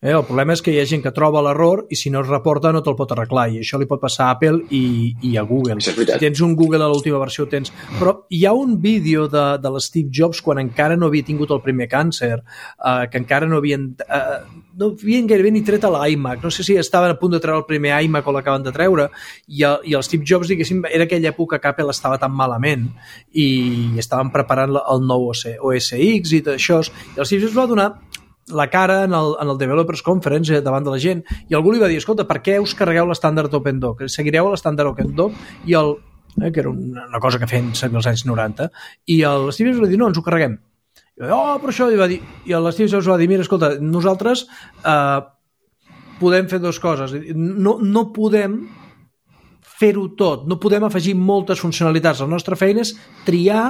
S3: Eh, el problema és que hi ha gent que troba l'error i si no es reporta no te'l pot arreglar, i això li pot passar a Apple i, i a Google. Si tens un Google a l'última versió, tens... Però hi ha un vídeo de, de l'Steve Jobs quan encara no havia tingut el primer càncer, eh, que encara no havien... Eh, no havien gairebé ni tret a l'iMac, no sé si estaven a punt de treure el primer iMac o l'acaben de treure, i el, i el Steve Jobs, diguéssim, era aquella època que Apple estava tan malament i estaven preparant el nou O S X i tot això, i el Steve Jobs va donar la cara en el, en el Developers Conference davant de la gent, i algú li va dir, escolta, per què us carregueu l'estàndard OpenDoc? Seguireu l'estàndard OpenDoc? I el, eh, que era una, una cosa que feien servir als anys noranta, i el Steve Jobs va dir, no, ens ho carreguem. I va dir, oh, però això, i va dir, i el Steve Jobs va dir, mira, escolta, nosaltres eh, podem fer dues coses, no, no podem fer-ho tot, no podem afegir moltes funcionalitats. La nostra feina és triar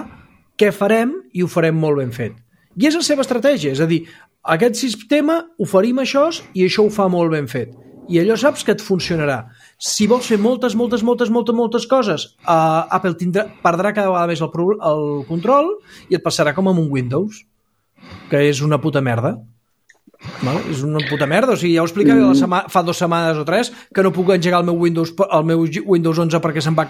S3: què farem i ho farem molt ben fet. I és la seva estratègia, és a dir, aquest sistema oferim això i això ho fa molt ben fet. I allò saps que et funcionarà. Si vols fer moltes, moltes, moltes, moltes, moltes coses, uh, Apple tindrà, perdrà cada vegada més el, el control i et passarà com amb un Windows, que és una puta merda. Vale? És una puta merda. O sigui, ja ho explicaré la sema- fa dues setmanes o tres que no puc engegar el meu Windows, el meu Windows onze perquè se'm va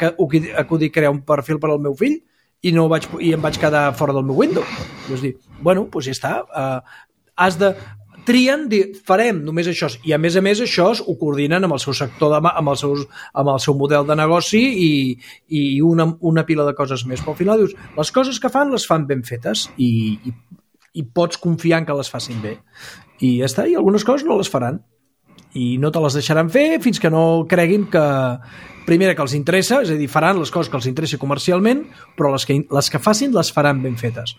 S3: acudir crear un perfil per al meu fill i, no vaig, i em vaig quedar fora del meu Windows. I dir, bueno, doncs ja està. Uh, has de... Trien, dir, farem només això, i a més a més això ho coordinen amb el seu sector, de, amb, el seus, amb el seu model de negoci i, i una, una pila de coses més. Però al final dius, les coses que fan les fan ben fetes i, i, i pots confiar en que les facin bé. I ja està, i algunes coses no les faran. I no te les deixaran fer fins que no creguin que, primera, que els interessa, és a dir, faran les coses que els interessi comercialment, però les que, les que facin les faran ben fetes.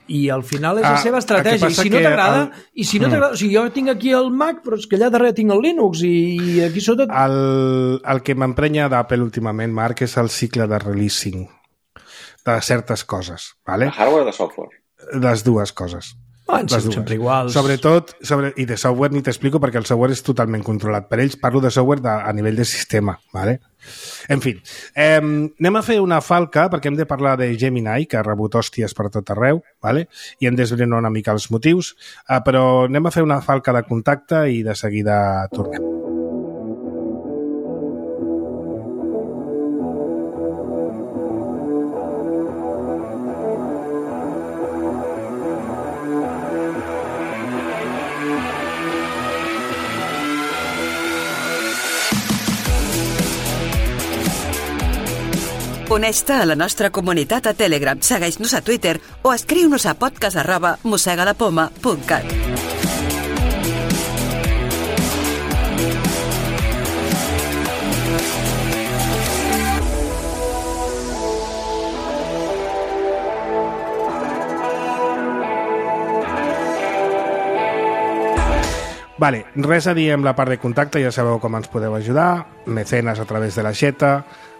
S3: I al final és la ah, seva estratègia. I si no t'agrada, el... i si no t'agrada, o sigui, jo tinc aquí el Mac, però és que allà darrere tinc el Linux i aquí sota...
S2: El, el que m'emprenya d'Apple últimament, Marc, és el cicle de releasing de certes coses, vale?
S5: De hardware o de software?
S2: Les dues coses.
S3: Ah, les dues. Sempre iguals.
S2: Sobretot, sobre, i de software ni t'explico perquè el software és totalment controlat per ells. Parlo de software de, a nivell de sistema, ¿vale? En fi, eh, anem a fer una falca perquè hem de parlar de Gemini, que ha rebut hòsties per tot arreu, ¿vale? I hem d'esbrinar una mica els motius, eh, però anem a fer una falca de contacte i de seguida tornem.
S4: Uneix-te a la nostra comunitat a Telegram, segueix-nos a Twitter o escriu-nos a podcast arroba mossegalapoma punt cat.
S2: Vale, res a dir amb la part de contacte, ja sabeu com ens podeu ajudar, mecenes a través de la xeta,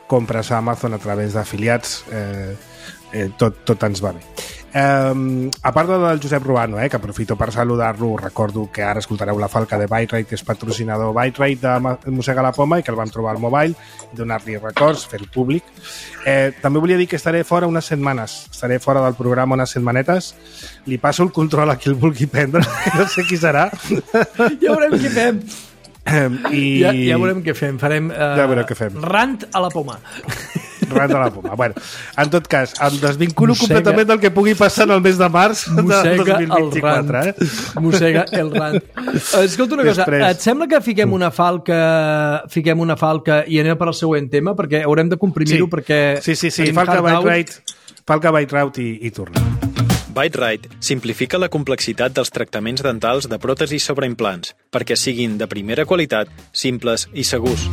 S2: compres a Amazon a través d'afiliats, eh, eh, tot, tot ens va bé. Eh, a part del Josep Ruano, eh, que aprofito per saludar-lo, recordo que ara escoltareu la falca de Byte-Rite, que és patrocinador Byte-Rite de Mossega la Poma i que el vam trobar al mobile, donar-li records, fer-ho públic. Eh, també volia dir que estaré fora unes setmanes, estaré fora del programa unes setmanetes, li passo el control a qui el vulgui prendre, no sé qui serà.
S3: Ja veurem què fem.
S2: I...
S3: Ja, ja veurem què fem. Farem uh,
S2: ja veurem què fem.
S3: Rant a la poma.
S2: Rant a la poma. Bueno, en tot cas, em desvinculo mossega, completament del que pugui passar en el mes de març de dos mil vint-i-quatre. Eh?
S3: Mossega el rant. Escolta una cosa, Després... et sembla que fiquem una falca fiquem una falca i anem per al següent tema? Perquè haurem de comprimir-ho
S2: sí.
S3: perquè...
S2: Sí, sí, sí. Falca Byte-Rite Falca Byte-Rite i, i tornem.
S6: Byte-Rite simplifica la complexitat dels tractaments dentals de pròtesis sobre implants perquè siguin de primera qualitat, simples i segurs.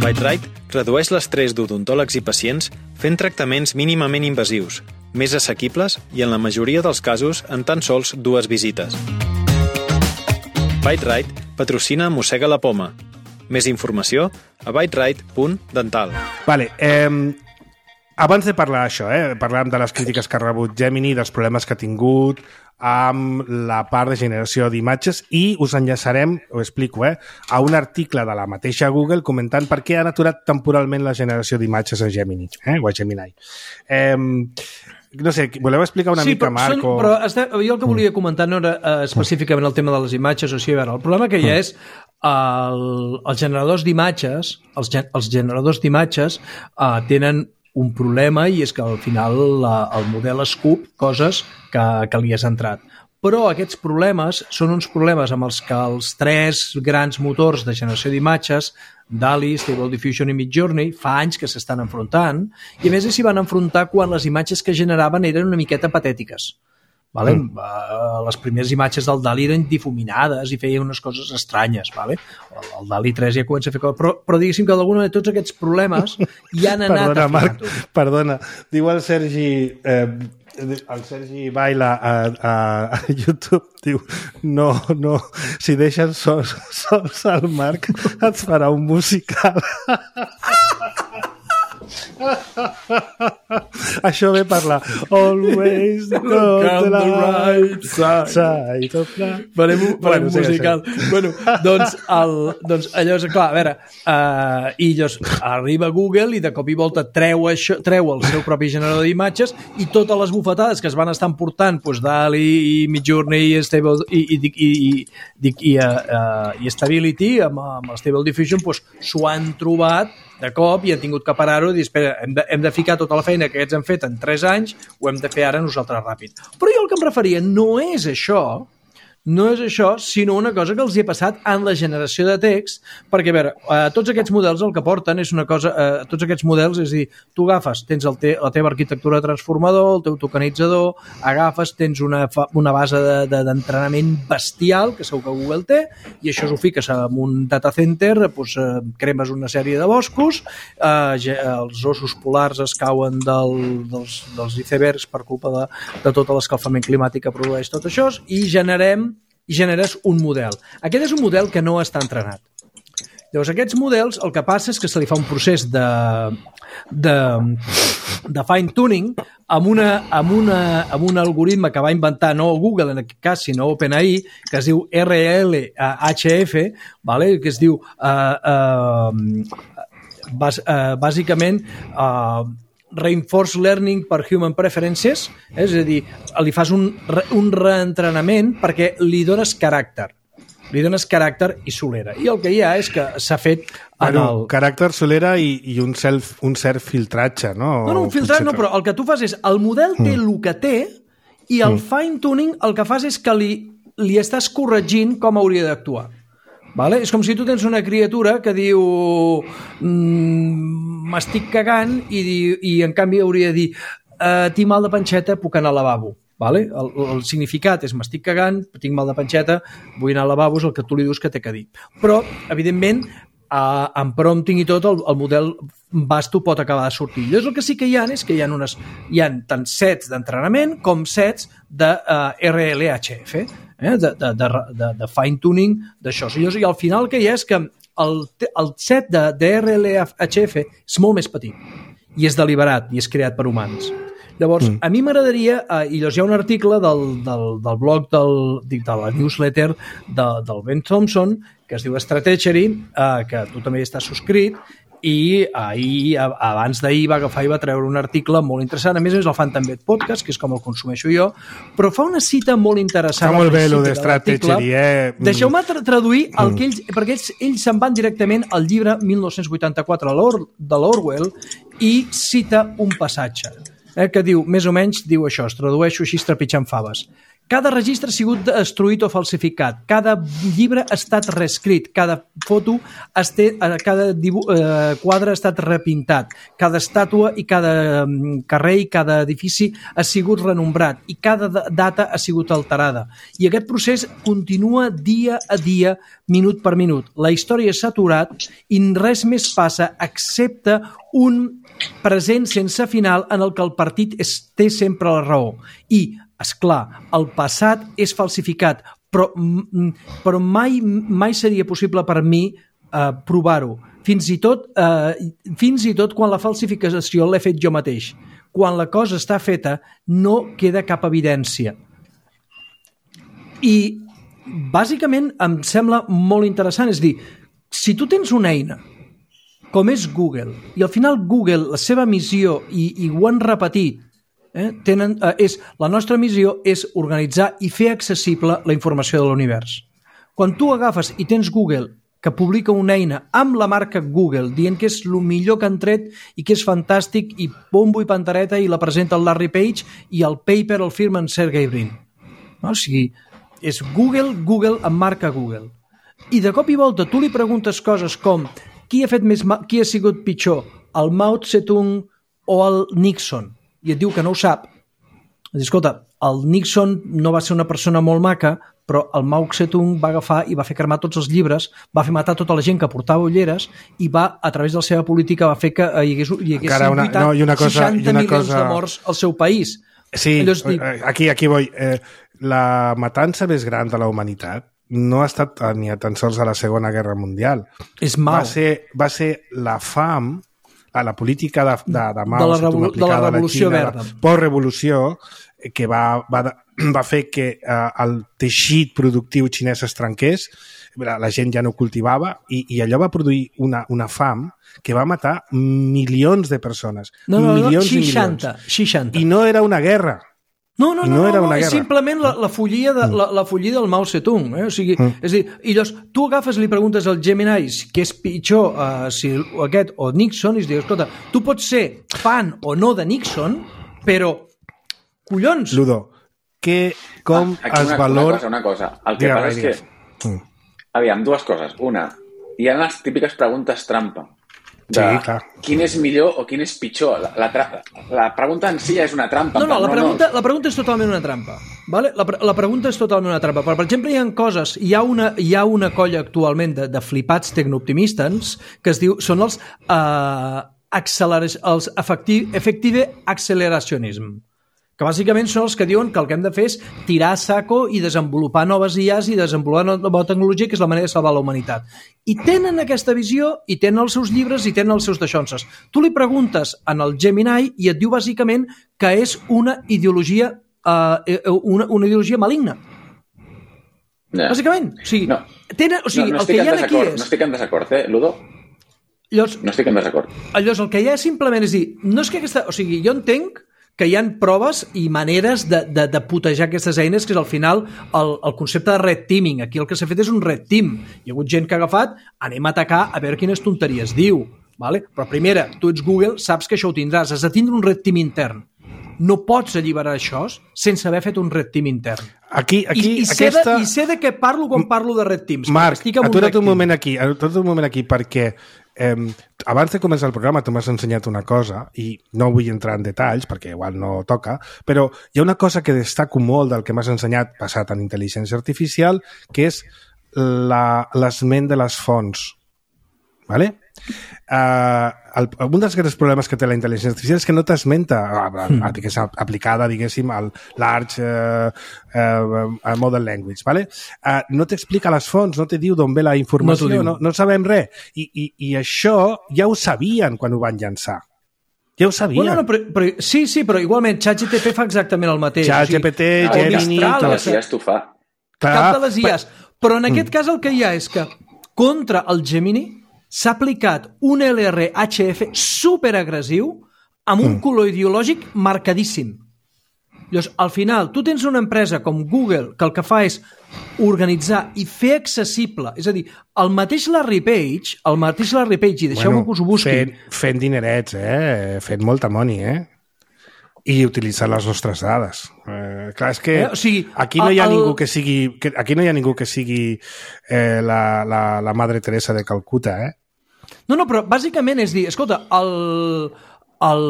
S6: Byte-Rite redueix l'estrès d'odontòlegs i pacients fent tractaments mínimament invasius, més assequibles i en la majoria dels casos en tan sols dues visites. Byte-Rite patrocina Mossega la Poma. Més informació a byterite punt dental.
S2: Vale, eh... abans de parlar d'això, eh, parlàvem de les crítiques que ha rebut Gemini, dels problemes que ha tingut amb la part de generació d'imatges i us enllaçarem, ho explico, eh, a un article de la mateixa Google comentant per què han aturat temporalment la generació d'imatges a Gemini, eh, o a Gemini. Eh, no sé, voleu explicar una
S3: sí,
S2: mica,
S3: però,
S2: Marc?
S3: Són,
S2: o...
S3: però este, jo el que volia comentar no era uh, específicament el tema de les imatges, o sigui, a veure, el problema que hi ha és el, els generadors d'imatges, els, gen, els generadors d'imatges uh, tenen un problema i és que al final la, el model escup coses que, que li has entrat. Però aquests problemes són uns problemes amb els que els tres grans motors de generació d'imatges, D A L L-E, Stable Diffusion i Midjourney, fa anys que s'estan enfrontant i a més s'hi van enfrontar quan les imatges que generaven eren una miqueta patètiques. Vale? Mm. Uh, les primeres imatges del D A L L-E eren difuminades i feien unes coses estranyes. Vale? El, el D A L L-E tres ja comença a fer coses. Però, però diguéssim que d'alguna manera tots aquests problemes ja han anat
S2: perdona,
S3: afinant.
S2: Marc, perdona, diu el Sergi... Eh, el Sergi Baila a, a, a YouTube, diu no, no, si deixes sols, sols al Marc et farà un musical. Això ve per la Always go to the right side, side of life.
S3: Farem un, farem bueno, un musical. Sí, bueno, doncs, el, doncs allò és clar, a veure, uh, i llavors arriba Google i de cop i volta treu, això, treu el seu propi generador d'imatges i totes les bufetades que es van estar portant doncs, D A L L-E i Midjourney i, Stable, i, i, i, i, i, uh, uh, i Stability amb, amb el Stable Diffusion s'ho doncs, han trobat de cop i han tingut que parar-ho i dir, espera, hem de, hem de ficar tota la feina que aquests han fet en tres anys, ho hem de fer ara nosaltres ràpid. Però jo el que em referia no és això, no és això, sinó una cosa que els hi ha passat en la generació de text, perquè, a veure, eh, tots aquests models el que porten és una cosa, eh, tots aquests models, és a dir, tu agafes, tens el te, la teva arquitectura de transformador, el teu tokenitzador, agafes, tens una, una base d'entrenament de, de, bestial, que segur que Google té, i això ho fiques en un data center, doncs, eh, cremes una sèrie de boscos, eh, els ossos polars es cauen del, dels, dels icebergs per culpa de, de tot l'escalfament climàtic que produeix tot això, i generem i generes un model. Aquest és un model que no està entrenat. Llavors, aquests models, el que passa és que se li fa un procés de, de, de fine-tuning amb, una, amb, una, amb un algoritme que va inventar no Google, en aquest cas, sinó OpenAI, que es diu R L H F, vale? Que es diu... Uh, uh, bàs, uh, bàsicament... Uh, Reinforced Learning per Human Preferences, eh? És a dir, li fas un, un reentrenament perquè li dones caràcter. Li dones caràcter i solera. I el que hi ha és que s'ha fet...
S2: Bueno,
S3: el...
S2: caràcter, solera i, i un, self, un cert filtratge, no?
S3: No, no, un filtratge no, però el que tu fas és el model té mm. el que té i el mm. fine-tuning el que fas és que li, li estàs corregint com hauria d'actuar. Vale? És com si tu tens una criatura que diu m'estic cagant i, i en canvi hauria de dir eh, tinc mal de panxeta, puc anar al lavabo. Vale? El, el significat és m'estic cagant, tinc mal de panxeta, vull anar al lavabo, és el que tu li dius que té que dir. Però, evidentment, eh, amb prompting i tot, el, el model vasto pot acabar de sortir. Llavors el que sí que hi ha és que hi ha, unes, hi ha tant sets d'entrenament com sets de uh, R L H F, eh? de, de, de, de, de fine-tuning d'això. I al final el que hi ha és que el, el set de, de R L H F és molt més petit i és deliberat i és creat per humans. Llavors, mm. a mi m'agradaria, eh, i llavors hi ha un article del, del, del blog del, de la newsletter de, del Ben Thompson que es diu Stratechery, eh, que tu també estàs subscrit, i ahir, abans d'ahir va agafar i va treure un article molt interessant, a més a més el fan també podcast, que és com el consumeixo jo, però fa una cita molt interessant.
S2: Està molt bé el de Stratechery, eh?
S3: Deixeu-me tra traduir el que ells, perquè ells, ells se'n van directament al llibre mil nou-cents vuitanta-quatre de l'Orwell i cita un passatge eh, que diu, més o menys, diu això, es tradueixo així trepitjant faves. Cada registre ha sigut destruït o falsificat, cada llibre ha estat reescrit, cada foto, este, cada dibuix, eh, quadre ha estat repintat, cada estàtua i cada carrer i cada edifici ha sigut renombrat i cada data ha sigut alterada. I aquest procés continua dia a dia, minut per minut. La història s'ha aturat i res més passa excepte un present sense final en el que el partit és, té sempre la raó. I esclar, el passat és falsificat, però, però mai, mai seria possible per mi eh, provar-ho. Fins i tot, eh, fins i tot quan la falsificació l'he fet jo mateix. Quan la cosa està feta, no queda cap evidència. I, bàsicament, em sembla molt interessant. És dir, si tu tens una eina com és Google, i al final Google, la seva missió, i, i ho han repetit, Eh, tenen, eh, és, la nostra missió és organitzar i fer accessible la informació de l'univers. Quan tu agafes i tens Google que publica una eina amb la marca Google dient que és el millor que han tret i que és fantàstic i bombo i pantareta i la presenta el Larry Page i el paper el firmen Sergey Brin. No? O sigui, és Google, Google amb marca Google. I de cop i volta tu li preguntes coses com qui ha, fet més mal, qui ha sigut pitjor, el Mao Zedong o el Nixon? I et diu que no ho sap. Diu, escolta, el Nixon no va ser una persona molt maca, però el Mao Zedong va agafar i va fer cremar tots els llibres, va fer matar tota la gent que portava ulleres i va, a través de la seva política, va fer que hi hagués, hi hagués
S2: una, no, i una cosa,
S3: seixanta
S2: i una
S3: milions
S2: cosa...
S3: de morts al seu país.
S2: Sí, dic... aquí, aquí vull. Eh, la matança més gran de la humanitat no ha estat ni tan sols a la Segona Guerra Mundial.
S3: És Mao.
S2: Va ser, va ser la fam... a la política de, de, de Mao,
S3: de la, revol de la revolució
S2: Xina,
S3: verda,
S2: post-revolució, que va, va, va fer que eh, el teixit productiu xinès es trenqués, la, la gent ja no cultivava i, i allò va produir una, una fam que va matar milions de persones.
S3: No, no,
S2: milions
S3: no, seixanta,
S2: i milions.
S3: seixanta.
S2: I no era una guerra.
S3: No, no, no,
S2: no, era
S3: no,
S2: una
S3: no és simplement la, la, follia de, la, la follia del Mao Zedong. Eh? O sigui, mm. és a dir, i llavors, tu agafes i li preguntes al Gemini què és pitjor, uh, si aquest o Nixon, i es diu, escolta, tu pots ser fan o no de Nixon, però, collons...
S2: Ludo, que, com
S5: ah,
S2: es
S5: una,
S2: valora...
S5: Una cosa, una cosa. El que
S2: Digue,
S5: passa és que... Mm. Aviam, dues coses. Una, hi ha les típiques preguntes trampa. De
S2: sí, clar.
S5: Quin és millor o quin és pitjor. La, la, la pregunta en si és una trampa.
S3: No, no, la pregunta, la pregunta és totalment una trampa. Vale? La, la pregunta és totalment una trampa. Però, per exemple, hi ha coses, hi ha una, hi ha una colla actualment de, de flipats tecnooptimistes que es diu, són els, uh, els effective acceleracionism. que bàsicament són els que diuen que el que hem de fer és tirar a saco i desenvolupar noves I As i desenvolupar nova tecnologia, que és la manera de salvar la humanitat. I tenen aquesta visió, i tenen els seus llibres, i tenen els seus daixonses. Tu li preguntes en el Gemini i et diu bàsicament que és una ideologia, uh, una, una ideologia maligna. No. Bàsicament. O sigui, no. tenen, o sigui
S5: no, no
S3: el que hi ha aquí és...
S5: No estic en desacord, eh, Ludo?
S3: Llavors,
S5: no estic en desacord.
S3: Llavors, el que hi ha simplement és dir, no és que aquesta... O sigui, jo entenc que hi ha proves i maneres de, de, de putejar aquestes eines, que és al final el, el concepte de red teaming. Aquí el que s'ha fet és un red team. Hi ha hagut gent que ha agafat, anem a atacar a veure quines tonteries diu. Vale? Però primera, tu ets Google, saps que això ho tindràs. Has de tindre un red team intern. No pots alliberar això sense haver fet un red team intern.
S2: Aquí, aquí,
S3: I, i, sé
S2: aquesta...
S3: de, I sé de què parlo quan parlo de red teams.
S2: Marc, atura't un, un moment aquí, atura't un moment aquí, perquè eh, abans de començar el programa tu m'has ensenyat una cosa, i no vull entrar en detalls, perquè igual no toca, però hi ha una cosa que destaco molt del que m'has ensenyat basat en intel·ligència artificial, que és l'esment de les fonts. Vale? Uh, el, un dels grans problemes que té la intel·ligència artificial és que no t'esmenta mm. digués, aplicada, diguéssim, al large uh, uh, model language, vale? Uh, no t'explica les fonts, no te diu d'on ve la informació, no, no, no sabem res, I, i, i això ja ho sabien quan ho van llançar. Ja ho sabien.
S3: Bueno, no, però, però, sí, sí, però igualment ChatGPT fa exactament el mateix.
S2: ChatGPT, o sigui, Gemini...
S5: Cap de les I As t'ho fa.
S3: Cap de les I As. Però en aquest mm. cas el que hi ha és que contra el Gemini s'ha aplicat un L R H F superagressiu amb un mm. color ideològic marcadíssim. Llavors, al final, tu tens una empresa com Google que el que fa és organitzar i fer accessible, és a dir, el mateix Larry Page, el mateix Larry Page, i deixeu-me bueno, que us ho busqui.
S2: Fent, fent dinerets, eh? Fent molta money, eh? I utilitzar les nostres dades. Eh, clar, és que eh, o sigui, aquí no hi ha el... ningú que sigui que, aquí no hi ha ningú que sigui eh, la, la, la Madre Teresa de Calcuta, eh?
S3: No, no, però bàsicament és dir, escolta, el, el,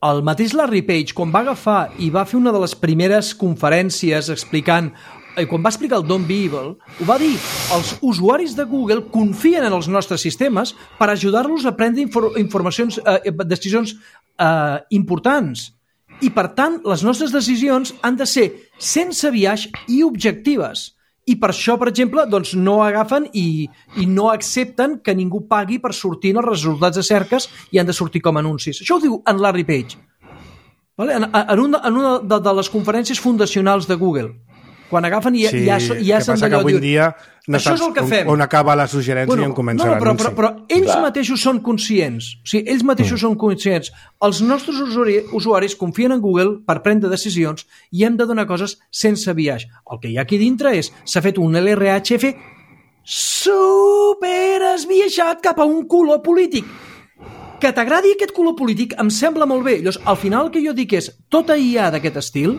S3: el mateix Larry Page, quan va agafar i va fer una de les primeres conferències explicant, i quan va explicar el Don't Be Evil, ho va dir, els usuaris de Google confien en els nostres sistemes per ajudar-los a prendre infor informacions, eh, decisions eh, importants. I, per tant, les nostres decisions han de ser sense biaix i objectives. I per això, per exemple, doncs no agafen i, i no accepten que ningú pagui per sortir en els resultats de cerques i han de sortir com a anuncis. Això ho diu en Larry Page. Vale? En, en una, en una de, de les conferències fundacionals de Google. Quan agafen i
S2: sí,
S3: ja, ja s'han d'allò...
S2: Avui dia no
S3: això és el que fem.
S2: On, on acaba la suggerència bueno, i on comença
S3: no, no, però,
S2: l'anunci.
S3: Però, però ells Clar. mateixos són conscients. O sigui, ells mateixos mm. són conscients. Els nostres usuari, usuaris confien en Google per prendre decisions i hem de donar coses sense biaix. El que hi ha aquí dintre és s'ha fet un L R H F super esbiaixat cap a un color polític. Que t'agradi aquest color polític em sembla molt bé. Llavors, al final el que jo dic és tota I A d'aquest estil,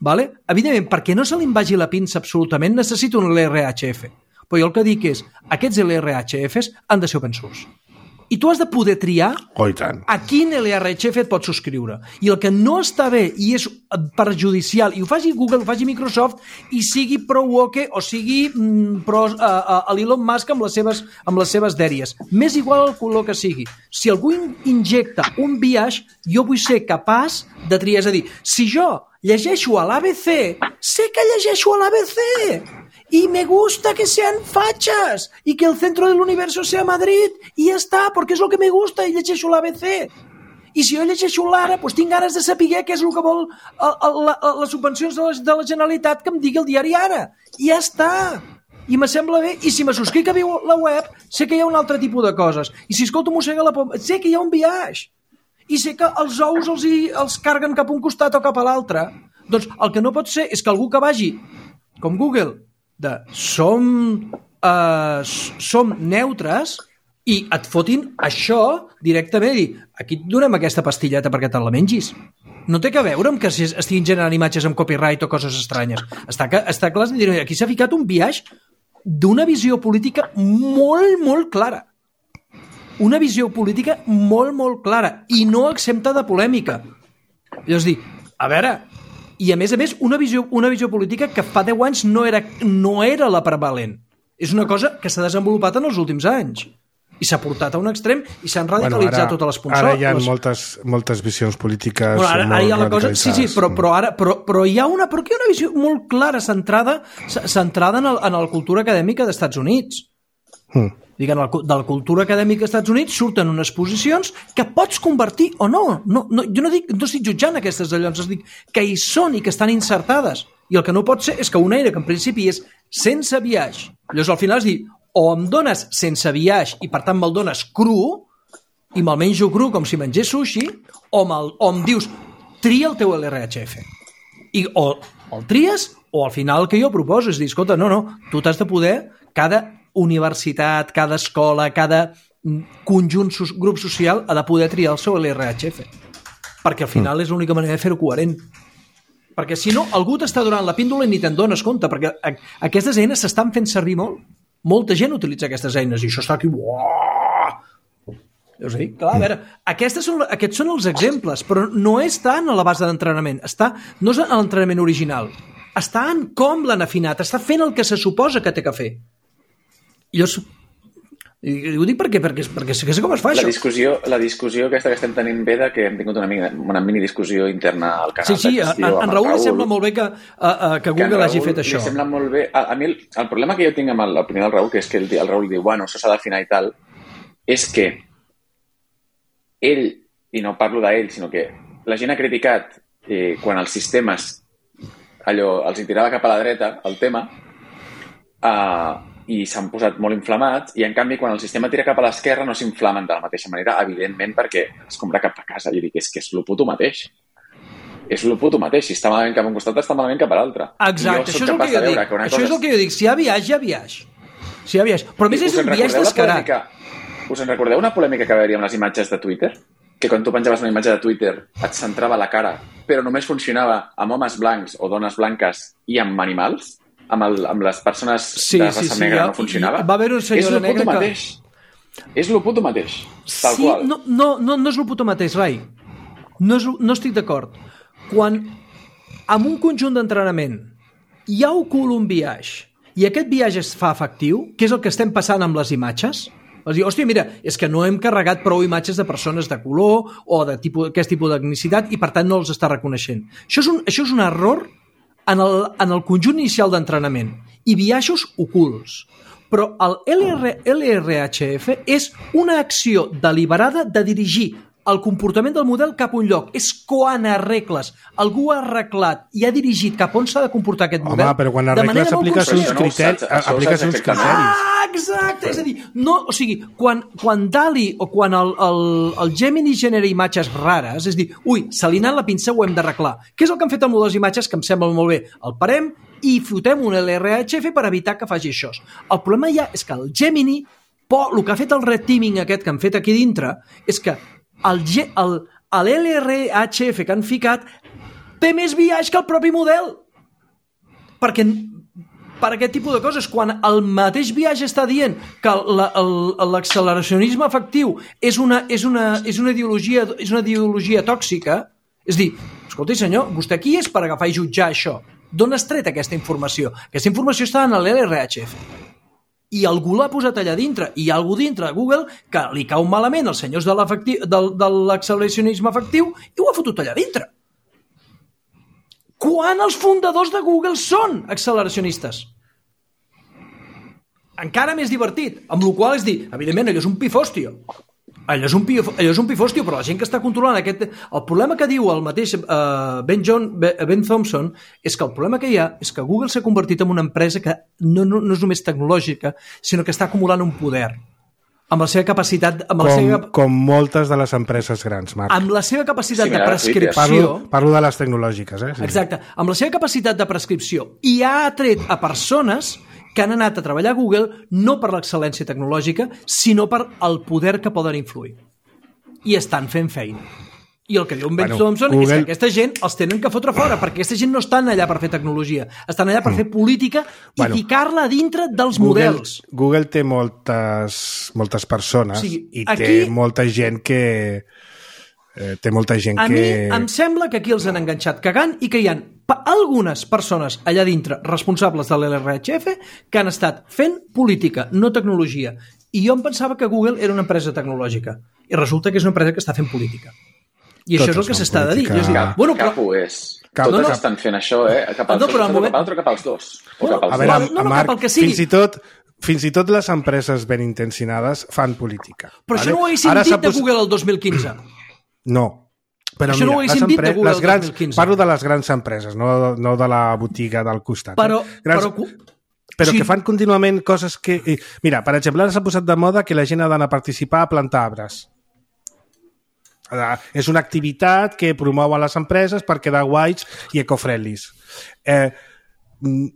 S3: vale? Evidentment, perquè no se li vagi la pinça absolutament, necessita un L R H F. Però jo el que dic és, aquests L R H Fs han de ser open source. I tu has de poder triar
S2: oh, tant.
S3: a quin L R H F et pots subscriure. I el que no està bé i és perjudicial, i ho faci Google, ho faci Microsoft, i sigui pro-woke o sigui mm, pro uh, uh, l'Elon Musk amb les seves, amb les seves dèries. M'és igual el color que sigui. Si algú injecta un biaix, jo vull ser capaç de triar. És a dir, si jo llegeixo a l'A B C, sé que llegeixo a l'A B C y me gusta que sean fachas y que el centro del universo sea Madrid y ya está, porque es lo que me gusta i llegeixo l'A B C. I si jo llegeixo l'Ara, doncs tinc ganes de saber què és el que vol el, el, la, les subvencions de la, de la Generalitat que em digui el diari Ara. I ja està. I me sembla bé. I si me subscric a la web, sé que hi ha un altre tipus de coses. I si escolto Mossega la Poma, sé que hi ha un biaix. I sé que els ous els, hi, els carguen cap a un costat o cap a l'altre. Doncs el que no pot ser és que algú que vagi, com Google, de som, uh, som neutres i et fotin això directament i dir, aquí et donem aquesta pastilleta perquè te la mengis. No té que veure amb que estiguin generant imatges amb copyright o coses estranyes. Està, que, està clar, aquí s'ha ficat un biaix d'una visió política molt, molt clara. Una visió política molt, molt clara i no exempta de polèmica. És dir, a veure, i a més a més una visió, una visió política que fa deu anys no era, no era la prevalent. És una cosa que s'ha desenvolupat en els últims anys. i s'ha portat a un extrem i s'han radicalitzat
S2: bueno, ara,
S3: totes les consoles.
S2: Ara hi ha moltes, moltes visions polítiques bueno,
S3: ara,
S2: molt
S3: ara hi ha la cosa, sí, sí, però, però, ara, però, però hi ha una, però hi ha una visió molt clara centrada, centrada en, el, en la cultura acadèmica dels Estats Units. Mm. Diguem, de la cultura acadèmica dels Estats Units surten unes posicions que pots convertir o no. no, no jo no, dic, no estic jutjant aquestes allons, es dic que hi són i que estan insertades. I el que no pot ser és que una eina que en principi és sense biaix, llavors al final es diu o em dones sense biaix i per tant me'l dones cru i me'l menjo cru com si mengés sushi, o, o em dius tria el teu L R H F. I o, o el tries o al final el que jo proposo és dir, escolta, no, no, tu t'has de poder, cada universitat, cada escola, cada conjunt, grup social ha de poder triar el seu L R H F. Perquè al final és l'única manera de fer-ho coherent. Perquè si no, algú t'està donant la píndola i ni te'n dones compte, perquè aquestes eines s'estan fent servir molt. Molta gent utilitza aquestes eines i això està aquí... Deus dir, clar, a veure, aquestes són, aquests són els exemples, però no és tant a la base d'entrenament, està, no és a l'entrenament original, està en com l'han afinat, està fent el que se suposa que té que fer. I jo... I ho dic perquè, perquè, perquè sé com es fa
S5: la
S3: això.
S5: Discussió, la discussió aquesta que estem tenint ve de que hem tingut una, mini, una mini discussió interna al canal.
S3: Sí, sí, a, a, en Raül li sembla molt bé que, a, a, que Google que hagi fet això.
S5: Li sembla molt bé. A, a mi el, el problema que jo tinc amb l'opinió del Raül, que és que el, el Raül diu, bueno, això s'ha d'afinar i tal, és que ell, i no parlo d'ell, sinó que la gent ha criticat eh, quan els sistemes allò els hi tirava cap a la dreta el tema, eh, i s'han posat molt inflamats, i en canvi quan el sistema tira cap a l'esquerra no s'inflamen de la mateixa manera, evidentment perquè es compra cap a casa. Jo dic, és que és el puto mateix. És el puto mateix. Si està malament cap a un costat, està malament cap a l'altre.
S3: Exacte, això és el que jo dic. Que això és el que jo dic. Si hi ha biaix, hi ha biaix. Si hi ha biaix. Però a més és un biaix descarat.
S5: Us en recordeu una polèmica que va haver-hi amb les imatges de Twitter? Que quan tu penjaves una imatge de Twitter et centrava la cara, però només funcionava amb homes blancs o dones blanques i amb animals? Amb, el, amb les persones
S3: sí,
S5: de raça
S3: sí, sí,
S5: negra
S3: ja,
S5: no funcionava.
S3: Va haver un senyora negra que...
S5: Mateix. És el puto mateix. Tal
S3: sí,
S5: qual.
S3: No, no, no, no és el puto mateix, Rai. No, és, no estic d'acord. Quan amb un conjunt d'entrenament hi ha un biaix i aquest biaix es fa efectiu, que és el que estem passant amb les imatges, és dir, hòstia, mira, és que no hem carregat prou imatges de persones de color o d'aquest tipus d'etnicitat i per tant no els està reconeixent. Això és un, això és un error en el, en el conjunt inicial d'entrenament i biaixos ocults. Però el L R H F és una acció deliberada de dirigir el comportament del model cap a un lloc. És quan arregles, algú ha arreglat i ha dirigit cap on s'ha de comportar aquest model.
S2: Home, però quan arregles apliques uns criteris. Apliques uns criteris.
S3: Ah, exacte! És a dir, no, o sigui, quan, quan DALL-E o quan el, el, el Gemini genera imatges rares, és dir, ui, se li ha anat la pinça, ho hem d'arreglar. Què és el que han fet amb les imatges que em sembla molt bé? El parem i fotem un L R H F per evitar que faci això. El problema ja és que el Gemini, por, el que ha fet el red teaming aquest que han fet aquí dintre, és que el, el, l'L R H F que han ficat té més biaix que el propi model. Perquè per aquest tipus de coses, quan el mateix biaix està dient que l'acceleracionisme efectiu és una, és, una, és, una ideologia, és una ideologia tòxica, és dir, escolta senyor, vostè qui és per agafar i jutjar això? D'on has tret aquesta informació? Aquesta informació està en l'L R H F. I algú l'ha posat allà dintre, i hi ha algú dintre de Google que li cau malament els senyors de l'acceleracionisme efectiu i ho ha fotut allà dintre. Quan els fundadors de Google són acceleracionistes? Encara més divertit, amb la qual és dir, evidentment, allò és un pifòstio. Allò és, un pif, allò és un pifòstio, però la gent que està controlant aquest... El problema que diu el mateix uh, Ben, John, Ben Thompson és que el problema que hi ha és que Google s'ha convertit en una empresa que no, no, no és només tecnològica, sinó que està acumulant un poder amb la seva capacitat... Amb
S2: com,
S3: la seva,
S2: com moltes de les empreses grans, Marc.
S3: Amb la seva capacitat
S5: sí,
S3: de prescripció...
S2: Parlo, parlo de les tecnològiques, eh? Sí.
S3: Exacte. Amb la seva capacitat de prescripció i ha atret a persones que han anat a treballar a Google no per l'excel·lència tecnològica, sinó per el poder que poden influir. I estan fent feina. I el que diu en Ben bueno, Thompson Google... és que aquesta gent els tenen que fotre fora, perquè aquesta gent no estan allà per fer tecnologia, estan allà per fer política i bueno, ficar-la dintre dels
S2: Google,
S3: models.
S2: Google té moltes, moltes persones o sigui, i aquí... té molta gent que... Eh, té molta gent
S3: a
S2: que...
S3: A mi em sembla que aquí els han enganxat cagant i que hi ha algunes persones allà dintre responsables de l'L R H F que han estat fent política, no tecnologia. I jo em pensava que Google era una empresa tecnològica. I resulta que és una empresa que està fent política. I això és el que s'està de dir.
S5: Cap,
S3: bueno,
S5: però... cap ho és. Cap, Totes no, no. estan fent això, eh? Cap al no, però moment... cap altre, cap als dos. O cap als
S2: a veure,
S5: dos.
S2: No, no, Marc, cap al que sigui. Fins i tot... Fins i tot les empreses ben intencionades fan política.
S3: Però vale? Això no ho haguéssim Ara dit de Google el dos mil quinze.
S2: No. Però
S3: això
S2: mira,
S3: no ho haguéssim dit de Google
S2: les grans,
S3: el dos mil quinze.
S2: Parlo de les grans empreses, no, no de la botiga del costat.
S3: Però,
S2: eh? grans,
S3: però,
S2: però
S3: sí.
S2: que fan contínuament coses que... Mira, per exemple, ara s'ha posat de moda que la gent ha d'anar a participar a plantar arbres. És una activitat que promouen les empreses per quedar guais i eco-friendlies. Eh,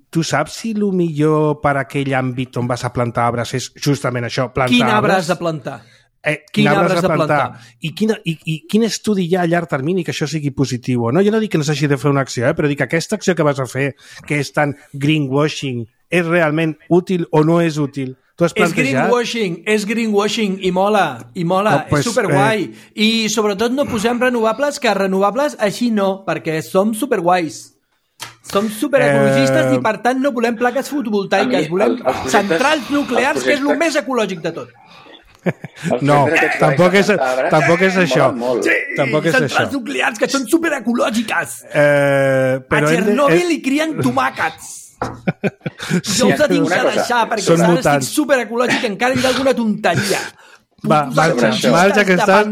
S2: tu saps si el millor per aquell àmbit on vas a plantar arbres és justament això, plantar
S3: Quin arbre
S2: arbres?
S3: has de plantar?
S2: Eh, quin, quin arbre has de plantar? plantar? I, quina, i, I quin estudi hi ha a llarg termini que això sigui positiu? No? Jo no dic que no s'hagi de fer una acció, eh? però dic que aquesta acció que vas a fer, que és tan greenwashing, és realment útil o no és útil? Tu has
S3: plantejat? És greenwashing, és greenwashing i mola, i mola, oh, pues, és superguai. Eh... I sobretot no posem renovables, que renovables així no, perquè som superguais. Som superecologistes eh... i per tant no volem plaques fotovoltaiques, mi, volem el, projectes, centrals nuclears, que és el més ecològic de tot.
S2: No, tampoc és, tampoc és això.
S3: Sí,
S2: tampoc és
S3: centrals
S2: això.
S3: nuclears que són superecològiques.
S2: Eh, però
S3: a Chernobyl
S2: de...
S3: hi crien tomàquets. Jo us he de deixar perquè ara estic superecològic i encara hi ha alguna tonteria.
S2: Va, marxa, marxa que estàs...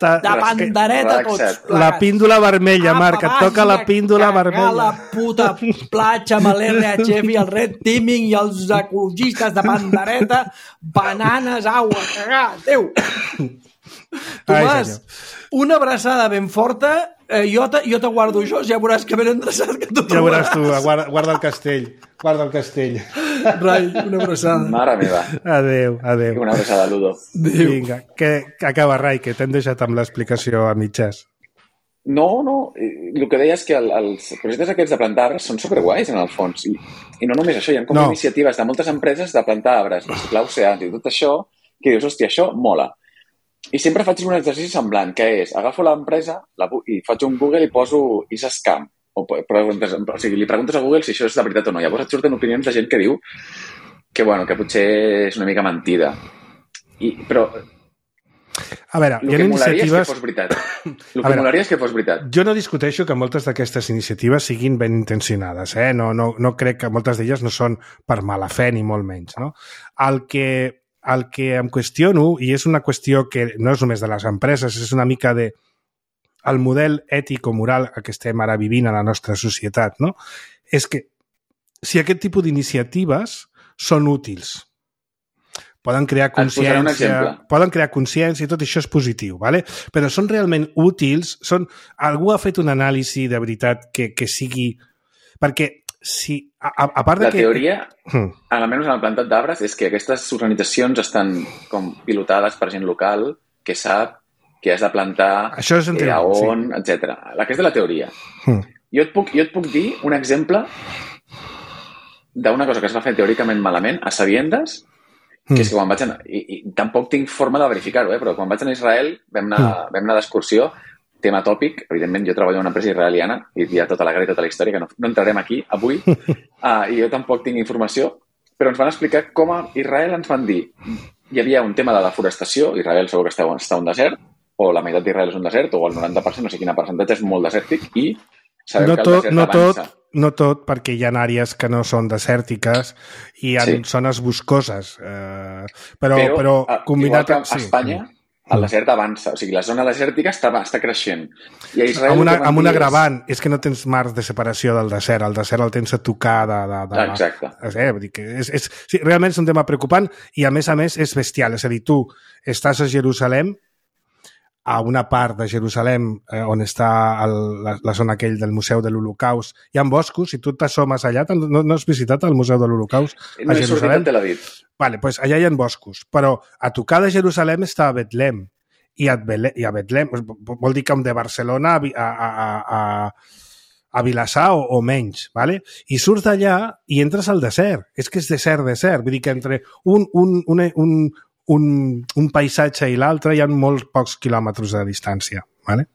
S3: De pandereta tots.
S2: La píndola vermella, Marc, et toca la píndola vermella.
S3: La puta platja amb l'R H F i el Red Teaming i els ecologistes de pandereta, bananes, aigua, cagar, Déu. Tomàs, una abraçada ben forta, eh, jo, te, jo te guardo això, ja veuràs que ben endreçat que tu
S2: ja veuràs tu, guarda, guarda el castell, guarda el castell.
S3: Rai, una abraçada.
S5: Mare meva.
S2: Adéu, adéu.
S5: Una abraçada, Ludo.
S3: Adéu.
S2: Vinga, que, que acaba, Rai, que t'hem deixat amb l'explicació a mitges.
S5: No, no, el que deia és que el, els projectes aquests de plantar arbres són superguais en el fons, i, i no només això, hi ha com no. iniciatives de moltes empreses de plantar arbres, reciclar oceans i tot això, que dius, hòstia, això mola. I sempre faig un exercici semblant, que és, agafo l'empresa la, i faig un Google i poso is a scam. O, preguntes, o sigui, li preguntes a Google si això és de veritat o no. Llavors et surten opinions de gent que diu que, bueno, que potser és una mica mentida. I, però...
S2: A veure, hi ha iniciatives...
S5: El que veritat. El que molaria és que fos veritat.
S2: Jo no discuteixo que moltes d'aquestes iniciatives siguin ben intencionades, eh? No, no, no crec que moltes d'elles no són per mala fe, ni molt menys, no? El que... El que em qüestiono, i és una qüestió que no és només de les empreses, és una mica de el model ètic-moral que estem ara vivint a la nostra societat, no? És que si aquest tipus d'iniciatives són útils, poden crear consciència, poden crear consciència i tot això és positiu, ¿vale? Però són realment útils, són... algú ha fet un anàlisi de veritat que, que sigui... Perquè si, a, a part de
S5: la
S2: que...
S5: teoria, hmm. almenys en el plantat d'arbres, és que aquestes organitzacions estan com pilotades per gent local que sap que has de plantar,
S2: això és
S5: eh, a on, sí. etcètera. Aquesta és la teoria. Hmm. Jo, et puc, jo et puc dir un exemple d'una cosa que es va fer teòricament malament a Sabiendes, que hmm. és que quan vaig anar... I, i tampoc tinc forma de verificar-ho, eh, però quan vaig anar a Israel vam anar, hmm. vam anar d'excursió. Tema tòpic, evidentment jo treballo en una empresa israeliana i hi ha tota la guerra i tota la història que no, no entrarem aquí avui uh, i jo tampoc tinc informació, però ens van explicar com a Israel ens van dir hi havia un tema de deforestació, Israel segur que està, està un desert, o la meitat d'Israel és un desert, o el noranta per cent, no sé quina percentatge, és molt desèrtic i sabem
S2: no
S5: que
S2: tot,
S5: el desert
S2: no
S5: avança.
S2: Tot, no tot, perquè hi ha àrees que no són desèrtiques i hi ha sí. zones boscoses, eh, però, però, però combinat...
S5: Igual que a Espanya, sí. el desert avança, o sigui, la zona desèrtica està, està creixent. I a Israel,
S2: amb una, amb un agravant, és... és que no tens marcs de separació del desert, el desert el tens a tocar de... de, de
S5: Exacte.
S2: Eh, vull dir que és, és, sí, realment és un tema preocupant i a més a més és bestial, és a dir, tu estàs a Jerusalem, a una part de Jerusalem eh, on està el, la, la zona aquell del Museu de l'Holocaust, hi ha boscos, si tu t'assomes allà, no, no has visitat el Museu de l'Holocaust a
S5: no
S2: Jerusalem?
S5: No he sortit a Tel Aviv.
S2: Vale, pues allà hi ha boscos, però a tocar de Jerusalem està a Betlem, i a, Bele, i a Betlem, vol dir com de Barcelona a, a, a, a, a Vilassar o, o menys, vale? I surts d'allà i entres al desert, és que és desert, desert, vull dir que entre un, un, un, un Un, un paisatge i l'altre hi ha molts pocs quilòmetres de distància. Vale?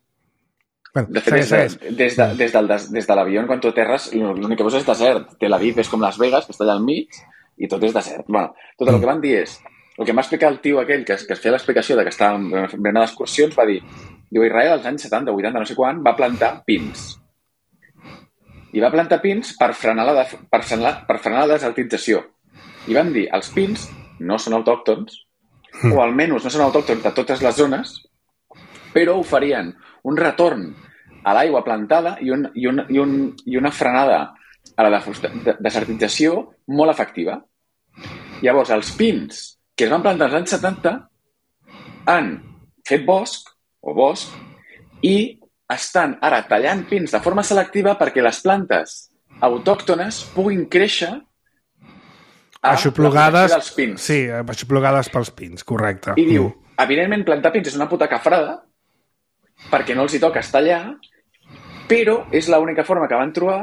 S2: Bueno,
S5: de fet, segueix, des, de, des, de, des, del, des de l'avió, quan tu aterres, l'únic que veus és desert. Tel Aviv és com Las Vegas, que està allà al mig, i tot és desert. Bueno, tot el que van dir és, el que m'ha explicat el tio aquell que es, que es feia l'explicació de que estava venint d'excursions, va dir, diu, Israel als anys setanta, vuitanta, no sé quan, va plantar pins. I va plantar pins per frenar la, de, per frenar, per frenar la desertització. I van dir, els pins no són autòctons, mm. o almenys no són autòctons de totes les zones, però oferien un retorn a l'aigua plantada i, un, i, un, i, un, i una frenada a la desertització molt efectiva. Llavors, els pins que es van plantar als anys setanta han fet bosc, o bosc, i estan ara tallant pins de forma selectiva perquè les plantes autòctones puguin créixer a
S2: aixoplugades,
S5: la dels pins.
S2: Sí, aixoplugades pels pins, correcte.
S5: I diu, evidentment, plantar pins és una puta cafrada perquè no els hi toca estallar, però és l'única forma que van trobar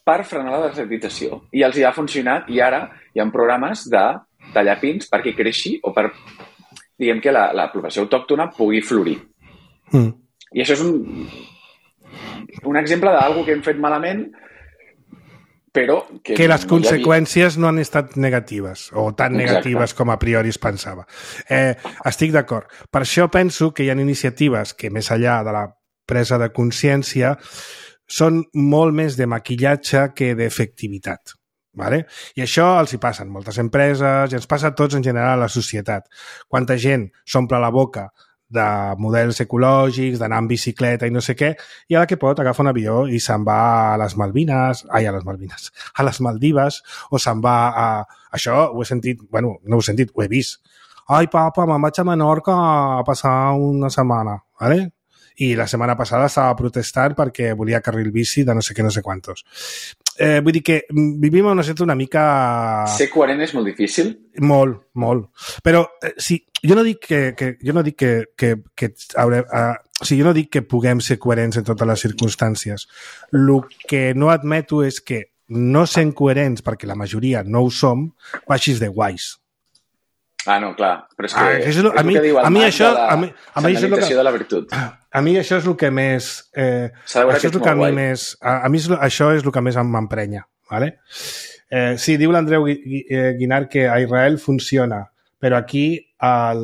S5: per frenar la desertització. I els hi ha funcionat i ara hi ha programes de tallar pins perquè creixi o per, diguem que la, la població autòctona pugui florir. Mm. I això és un, un exemple d'alguna que hem fet malament, però que,
S2: que les
S5: no
S2: conseqüències havia... no han estat negatives, o tan
S5: Exacte.
S2: negatives com a priori es pensava. Eh, estic d'acord. Per això penso que hi ha iniciatives que, més enllà de la presa de consciència, són molt més de maquillatge que d'efectivitat. Vale? I això els hi passa en moltes empreses i ens passa a tots en general a la societat. Quanta gent s'omple la boca de models ecològics, d'anar en bicicleta i no sé què, i a la que pot agafa un avió i se'n va a les Malvines, ai, a les Malvines, a les Maldives, o se'n va a... Això ho he sentit, bueno, no ho he sentit, ho he vist. Ai, papa, me'n vaig a Menorca a passar una setmana, ¿vale? I la setmana passada estava protestant perquè volia carril bici de no sé què, no sé quantos. Eh, vull dir que vivim en una situació una mica...
S5: Ser coherent és molt difícil?
S2: Molt, molt. Però eh, sí, jo no dic que, que, jo no dic que, que, que haurem, eh, o sigui, jo no dic que puguem ser coherents en totes les circumstàncies. El que no admeto és que no sent coherents, perquè la majoria no ho som, baixis de guais.
S5: Ah, no, clar. Però és que,
S2: ah, és, el,
S5: és
S2: a mi,
S5: el que diu el
S2: a mi
S5: Marc
S2: això,
S5: de la
S2: a mi, a mi això és
S5: que, de la virtut.
S2: A mi això és el que més... Eh, això és el que a mi més... A, a mi és, això és el que més m'emprenya. ¿Vale? Eh, sí, diu l'Andreu Guinart que a Israel funciona, però aquí al,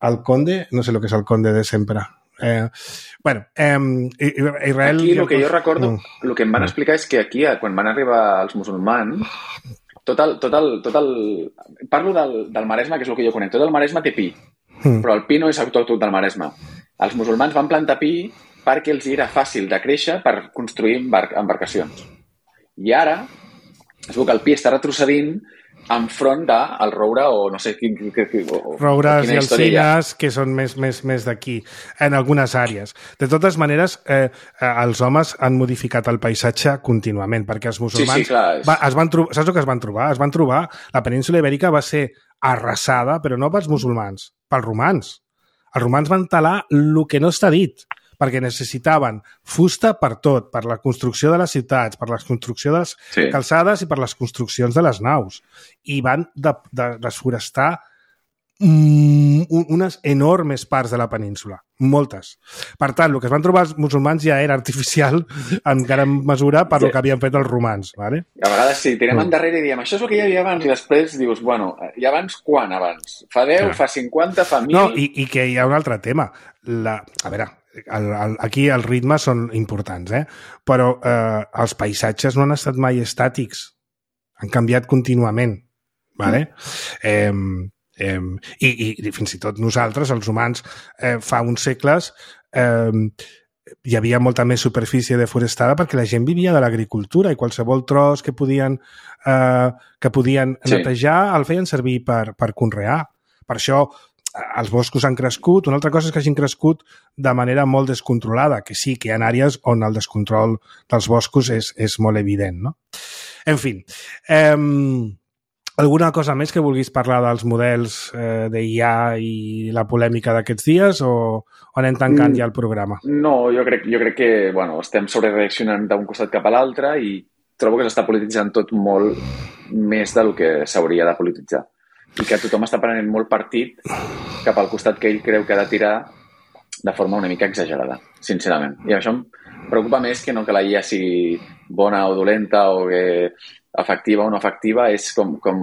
S2: al Conde, no sé el que és el Conde de sempre. Eh, bueno, eh, Israel...
S5: Aquí el que jo recordo, el que em van explicar és que aquí, quan van arribar els musulmans, tot el, tot el, tot el... Parlo del, del Maresme, que és el que jo conec. Tot el Maresme té pi, mm. però el pi no és autòcton del Maresme. Els musulmans van plantar pi perquè els era fàcil de créixer per construir embar embarcacions. I ara, es veu que el pi està retrocedint enfront del roure o no sé quin... O,
S2: roures i alzines, que són més, més, més d'aquí, en algunes àrees. De totes maneres, eh, els homes han modificat el paisatge contínuament, perquè els musulmans...
S5: Sí, sí, clar.
S2: Va, es van trobar, saps el que es van trobar? Es van trobar... La península Ibèrica va ser arrasada, però no pels musulmans, pels romans. Els romans van talar el que no està dit, perquè necessitaven fusta per tot, per la construcció de les ciutats, per la construcció de les sí. calçades i per les construccions de les naus. I van de, de, desforestar mm, unes enormes parts de la península, moltes. Per tant, el que es van trobar els musulmans ja era artificial en gran mesura per sí. el que havien fet els romans. ¿Vale?
S5: A vegades sí, tirem mm. endarrere i diem això és el que hi havia abans i després dius, bueno, i abans quan abans? Fa deu, ja. fa cinquanta, fa mil...
S2: No, i, i que hi ha un altre tema. La, a veure, el, el, aquí els ritmes són importants, eh? Però eh, els paisatges no han estat mai estàtics. Han canviat contínuament. ¿Vale? Mm. Eh, eh, i, I fins i tot nosaltres, els humans, eh, fa uns segles eh, hi havia molta més superfície deforestada perquè la gent vivia de l'agricultura i qualsevol tros que podien, eh, que podien sí. netejar el feien servir per, per conrear. Per això els boscos han crescut, una altra cosa és que hagin crescut de manera molt descontrolada, que sí que hi ha àrees on el descontrol dels boscos és, és molt evident, no? En fi, eh, alguna cosa més que vulguis parlar dels models eh, d'I A i la polèmica d'aquests dies o, o anem tancant ja el programa?
S5: No, jo crec, jo crec que bueno, estem sobrereaccionant d'un costat cap a l'altre i trobo que s'està polititzant tot molt més del que s'hauria de polititzar. I que tothom està prenent molt partit cap al costat que ell creu que ha de tirar de forma una mica exagerada, sincerament. I això em preocupa més que no que la I A sigui bona o dolenta o que efectiva o no efectiva, és com, com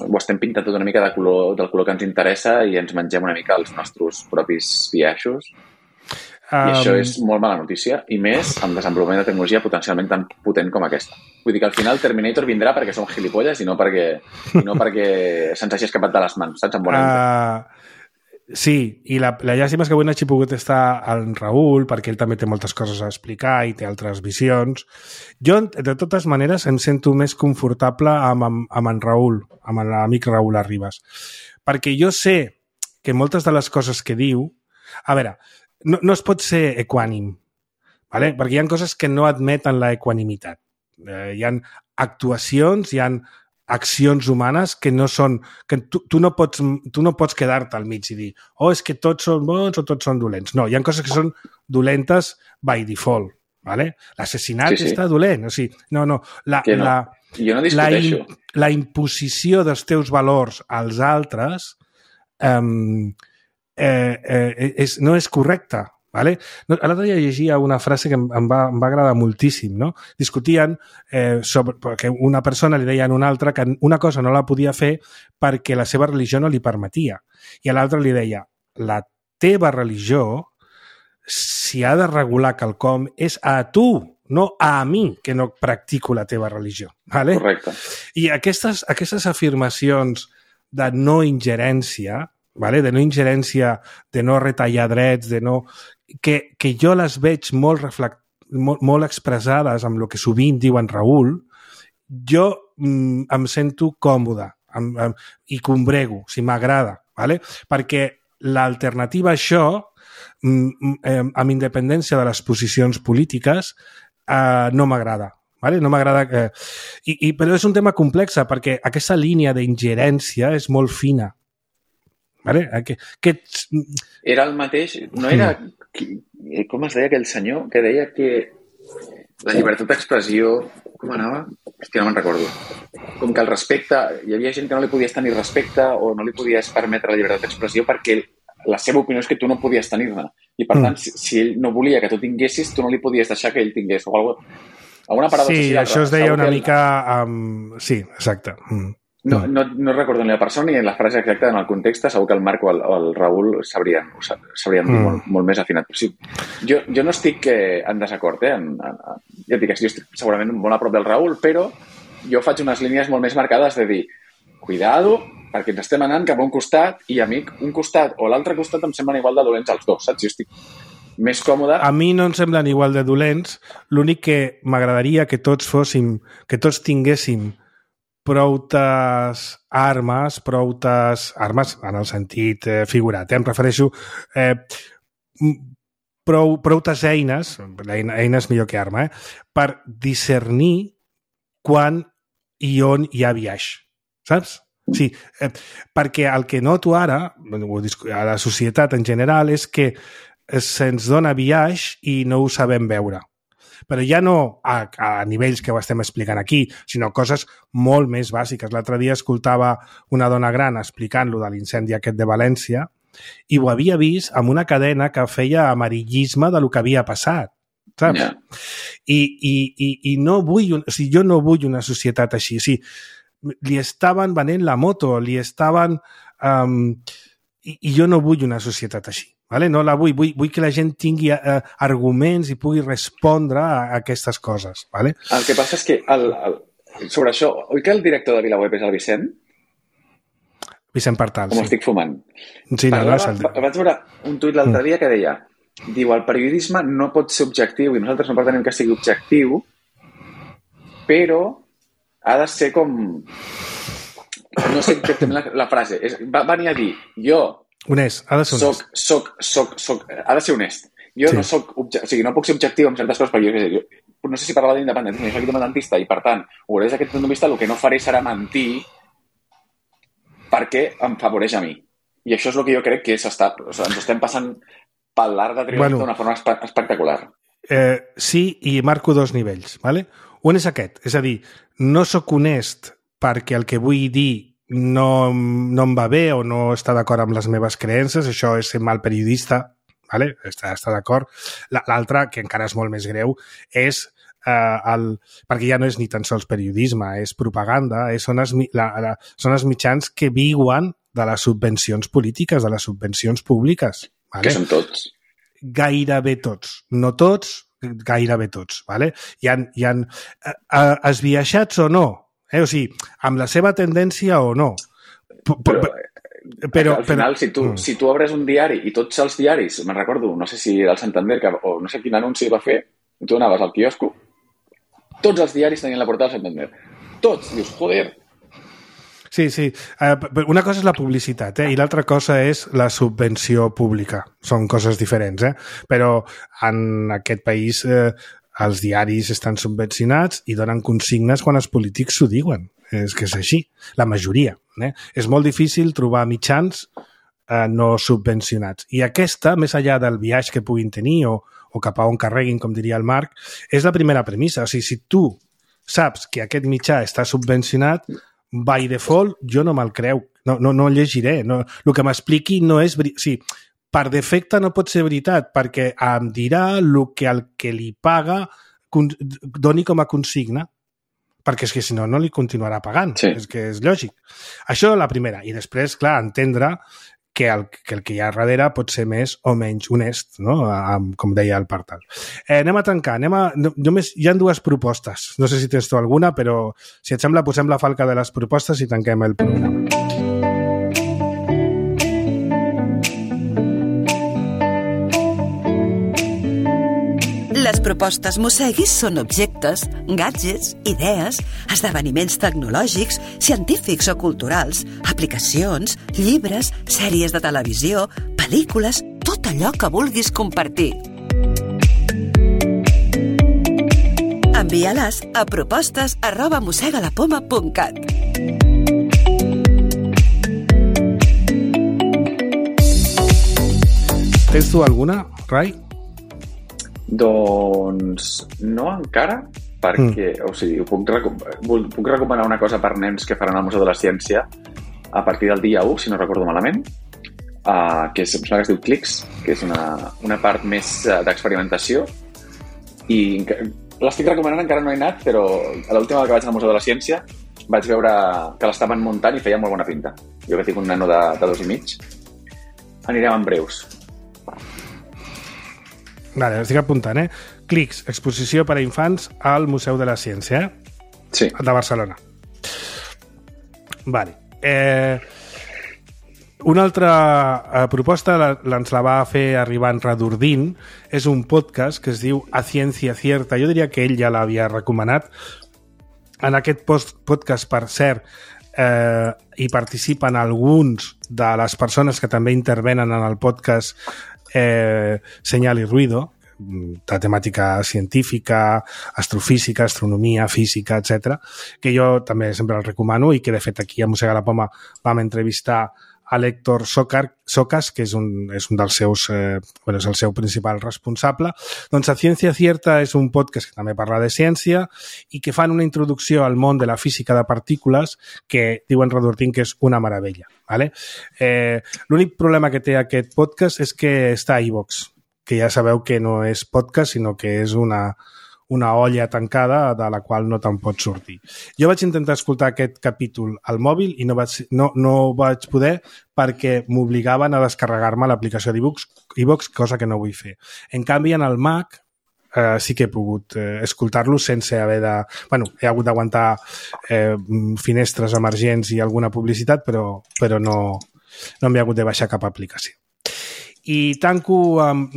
S5: ho estem pintant tot una mica de color, del color que ens interessa i ens mengem una mica els nostres propis biaixos. I um... això és molt mala notícia, i més amb desenvolupament de tecnologia potencialment tan potent com aquesta. Vull dir que al final Terminator vindrà perquè som gilipolles i no perquè, i no perquè se'ns hagi escapat de les mans, saps? En bona
S2: uh, sí, i la, la llàstima és que avui no hagi pogut estar en Raül, perquè ell també té moltes coses a explicar i té altres visions. Jo, de totes maneres, em sento més confortable amb, amb, amb en Raül, amb l'amic Raül Arribas, perquè jo sé que moltes de les coses que diu... A veure, No, no es pot ser equànim, ¿vale? Perquè hi ha coses que no admeten la equanimitat. Eh, hi ha actuacions, hi ha accions humanes que no són... que tu, tu no pots, tu no pots quedar-te al mig i dir oh, és que tots són bons o tots són dolents. No, hi ha coses que són dolentes by default, ¿vale? L'assassinat sí, sí. està dolent. O sigui, no, no. La,
S5: no?
S2: la,
S5: jo no
S2: la, in, la imposició dels teus valors als altres... Eh, Eh, eh, és, no és correcta, ¿vale? No, l'altre dia llegia una frase que em, em, va, em va agradar moltíssim, no? Discutien eh, sobre, perquè una persona li deia a una altra que una cosa no la podia fer perquè la seva religió no li permetia, i a l'altre li deia la teva religió, si ha de regular quelcom, és a tu, no a mi, que no practico la teva religió, ¿vale?
S5: Correcte.
S2: I aquestes, aquestes afirmacions de no ingerència, ¿vale? De no ingerència, de no retallar drets, de no... que, que jo les veig molt, reflect... molt, molt expressades amb el que sovint diu en Raül, jo mm, em sento còmode em, em, i combrego, si m'agrada, ¿vale? Perquè l'alternativa a això, mm, eh, amb independència de les posicions polítiques, eh, no m'agrada. Vale? No m'agrada que... I, i, però és un tema complex perquè aquesta línia d'ingerència és molt fina. Vale? Que, que...
S5: Era el mateix, no era... Com es deia aquell senyor que deia que la llibertat d'expressió... Com anava? Hòstia, no me'n recordo. Com que el respecte... Hi havia gent que no li podies tenir respecte o no li podies permetre la llibertat d'expressió perquè la seva opinió és que tu no podies tenir-ne. I per tant, mm. si, si ell no volia que tu tinguessis, tu no li podies deixar que ell tingués. O alguna, alguna paradoxa.
S2: Sí, això es deia una mica... Um... Sí, exacte. Mm.
S5: No, no, no recordo ni la persona ni la frase exacta en el context, segur que el Marc o el, o el Raül sabrien, sabrien dir mm. molt, molt més afinat. Però sí, jo, jo no estic eh, en desacord, eh? En, en, ja et dic, jo estic segurament molt a prop del Raül, però jo faig unes línies molt més marcades de dir, cuidado, perquè ens estem anant cap a un costat i, amic, un costat o l'altre costat em semblen igual de dolents els dos, saps? Jo estic més còmode...
S2: A mi no em semblen igual de dolents, l'únic que m'agradaria que tots fóssim, que tots tinguéssim proutes armes, proutes armes en el sentit eh, figurat. Eh? Em refereixo eh, prou, proutes eines, eina, eines millor que arma, eh? per discernir quan i on hi ha biaix. Saps? Sí, eh, perquè el que noto ara, a la societat en general, és que se'ns dona biaix i no ho sabem veure. Però ja no a, a nivells que ho estem explicant aquí, sinó coses molt més bàsiques. L'altre dia escoltava una dona gran explicant-lo de l'incendi aquest de València i ho havia vist amb una cadena que feia amarillisme de lo que havia passat, saps? Yeah. I, i, i, i no vull, o sigui, jo no vull una societat així. O sigui, li estaven venent la moto, li estaven... Um, i, I jo no vull una societat així. Vale? No la vull. vull, vull que la gent tingui eh, arguments i pugui respondre a, a aquestes coses. Vale?
S5: El que passa és que el, el, sobre això, oi que el director de VilaWeb és el Vicent?
S2: Vicent Partal,
S5: Com
S2: sí.
S5: estic fumant.
S2: Sí, no,
S5: Parlava,
S2: no, el...
S5: Vaig veure un tuit l'altre dia que deia diu, el periodisme no pot ser objectiu i nosaltres no pretenem que sigui objectiu, però ha de ser com... No sé exactament la, la frase. És, va venir a dir, jo...
S2: Honest, ha de ser honest.
S5: Soc, soc, soc, soc, ha de ser honest. Jo sí. no soc, o sigui, no puc ser objectiu en certes coses, perquè jo, jo no sé si parlava d'independència, jo soc independentista i, per tant, ho veuré des d'aquest punt de vista, el que no faré serà mentir perquè em favoreix a mi. I això és el que jo crec que s'està, o sigui, ens estem passant pel l'arc de triomf bueno, d'una forma espe espectacular.
S2: Eh, sí, i marco dos nivells, ¿vale? Un és aquest, és a dir, no sóc honest perquè el que vull dir no, no em va bé o no està d'acord amb les meves creences, això és ser mal periodista, vale? està, està d'acord. L'altre, que encara és molt més greu, és eh, el, perquè ja no és ni tan sols periodisme, és propaganda, és, són, els, la, la, són els mitjans que viuen de les subvencions polítiques, de les subvencions públiques. Vale?
S5: Que són tots.
S2: Gairebé tots. No tots, gairebé tots. Vale? Hi ha, hi ha eh, esbiaixats o no, eh? O sigui, amb la seva tendència o no. P
S5: però, però al final, però... si, tu, mm. si tu obres un diari i tots els diaris, me'n recordo, no sé si del Santander que, o no sé quin anunci va fer, tu anaves al quiosco, tots els diaris tenien la portada del Santander. Tots. Dius, joder.
S2: Sí, sí. Uh, una cosa és la publicitat, eh? I l'altra cosa és la subvenció pública. Són coses diferents, eh? Però en aquest país eh, els diaris estan subvencionats i donen consignes quan els polítics s'ho diuen. És que és així, la majoria. Eh? És molt difícil trobar mitjans eh, no subvencionats. I aquesta, més enllà del viatge que puguin tenir o, o cap a on carreguin, com diria el Marc, és la primera premissa. O sigui, si tu saps que aquest mitjà està subvencionat, by default, jo no me'l creu. No, no, no el llegiré. No, el que m'expliqui no és... O sigui, per defecte no pot ser veritat, perquè em dirà el que el que li paga doni com a consigna, perquè és que si no, no li continuarà pagant. Sí. És que és lògic. Això és la primera. I després, clar, entendre que el, que el que hi ha darrere pot ser més o menys honest, no? Com deia el Partal. Eh, anem a tancar. Anem a... Només hi ha dues propostes. No sé si tens tu alguna, però si et sembla, posem la falca de les propostes i tanquem el programa.
S4: Les propostes Mosseguis són objectes, gadgets, idees, esdeveniments tecnològics, científics o culturals, aplicacions, llibres, sèries de televisió, pel·lícules, tot allò que vulguis compartir. Envia-les a propostes arroba mossegalapoma punt cat.
S2: Tens tu alguna, Rai?
S5: Doncs no encara, perquè mm. o sigui, puc, recom puc recomanar una cosa per nens que faran al Museu de la Ciència a partir del dia u, si no recordo malament, uh, que, és, que es diu Clics, que és una, una part més uh, d'experimentació, i l'estic recomanant, encara no he anat, però a l'última vegada que vaig al Museu de la Ciència vaig veure que l'estaven muntant i feia molt bona pinta. Jo que tinc un nano de, de dos i mig, anirem en breus.
S2: Vale, estic apuntant, eh? Clics, exposició per a infants al Museu de la Ciència, eh?
S5: Sí.
S2: De Barcelona. Vale. Eh, una altra eh, proposta la, ens la va fer arribar en Radurdín. És un podcast que es diu A Ciencia Cierta. Jo diria que ell ja l'havia recomanat. En aquest post podcast, per cert, eh, hi participen alguns de les persones que també intervenen en el podcast Eh, Señal y Ruido, de temàtica científica, astrofísica, astronomia, física, etcètera, que jo també sempre el recomano i que, de fet, aquí a Mossega la Poma vam entrevistar a l'Héctor Socas, que és un, és un dels seus, eh, bueno, és el seu principal responsable. Doncs A Ciencia Cierta és un podcast que també parla de ciència i que fan una introducció al món de la física de partícules que diuen Radurdín que és una meravella. Vale? Eh, l'únic problema que té aquest podcast és que està a iVoox, que ja sabeu que no és podcast, sinó que és una, una olla tancada de la qual no te'n pots sortir. Jo vaig intentar escoltar aquest capítol al mòbil i no vaig, no, no vaig poder perquè m'obligaven a descarregar-me l'aplicació d'iVoox, cosa que no vull fer. En canvi, en el Mac eh, sí que he pogut eh, escoltar-lo sense haver de... Bueno, he hagut d'aguantar eh, finestres emergents i alguna publicitat, però, però no, no m'he hagut de baixar cap aplicació. I tanco amb...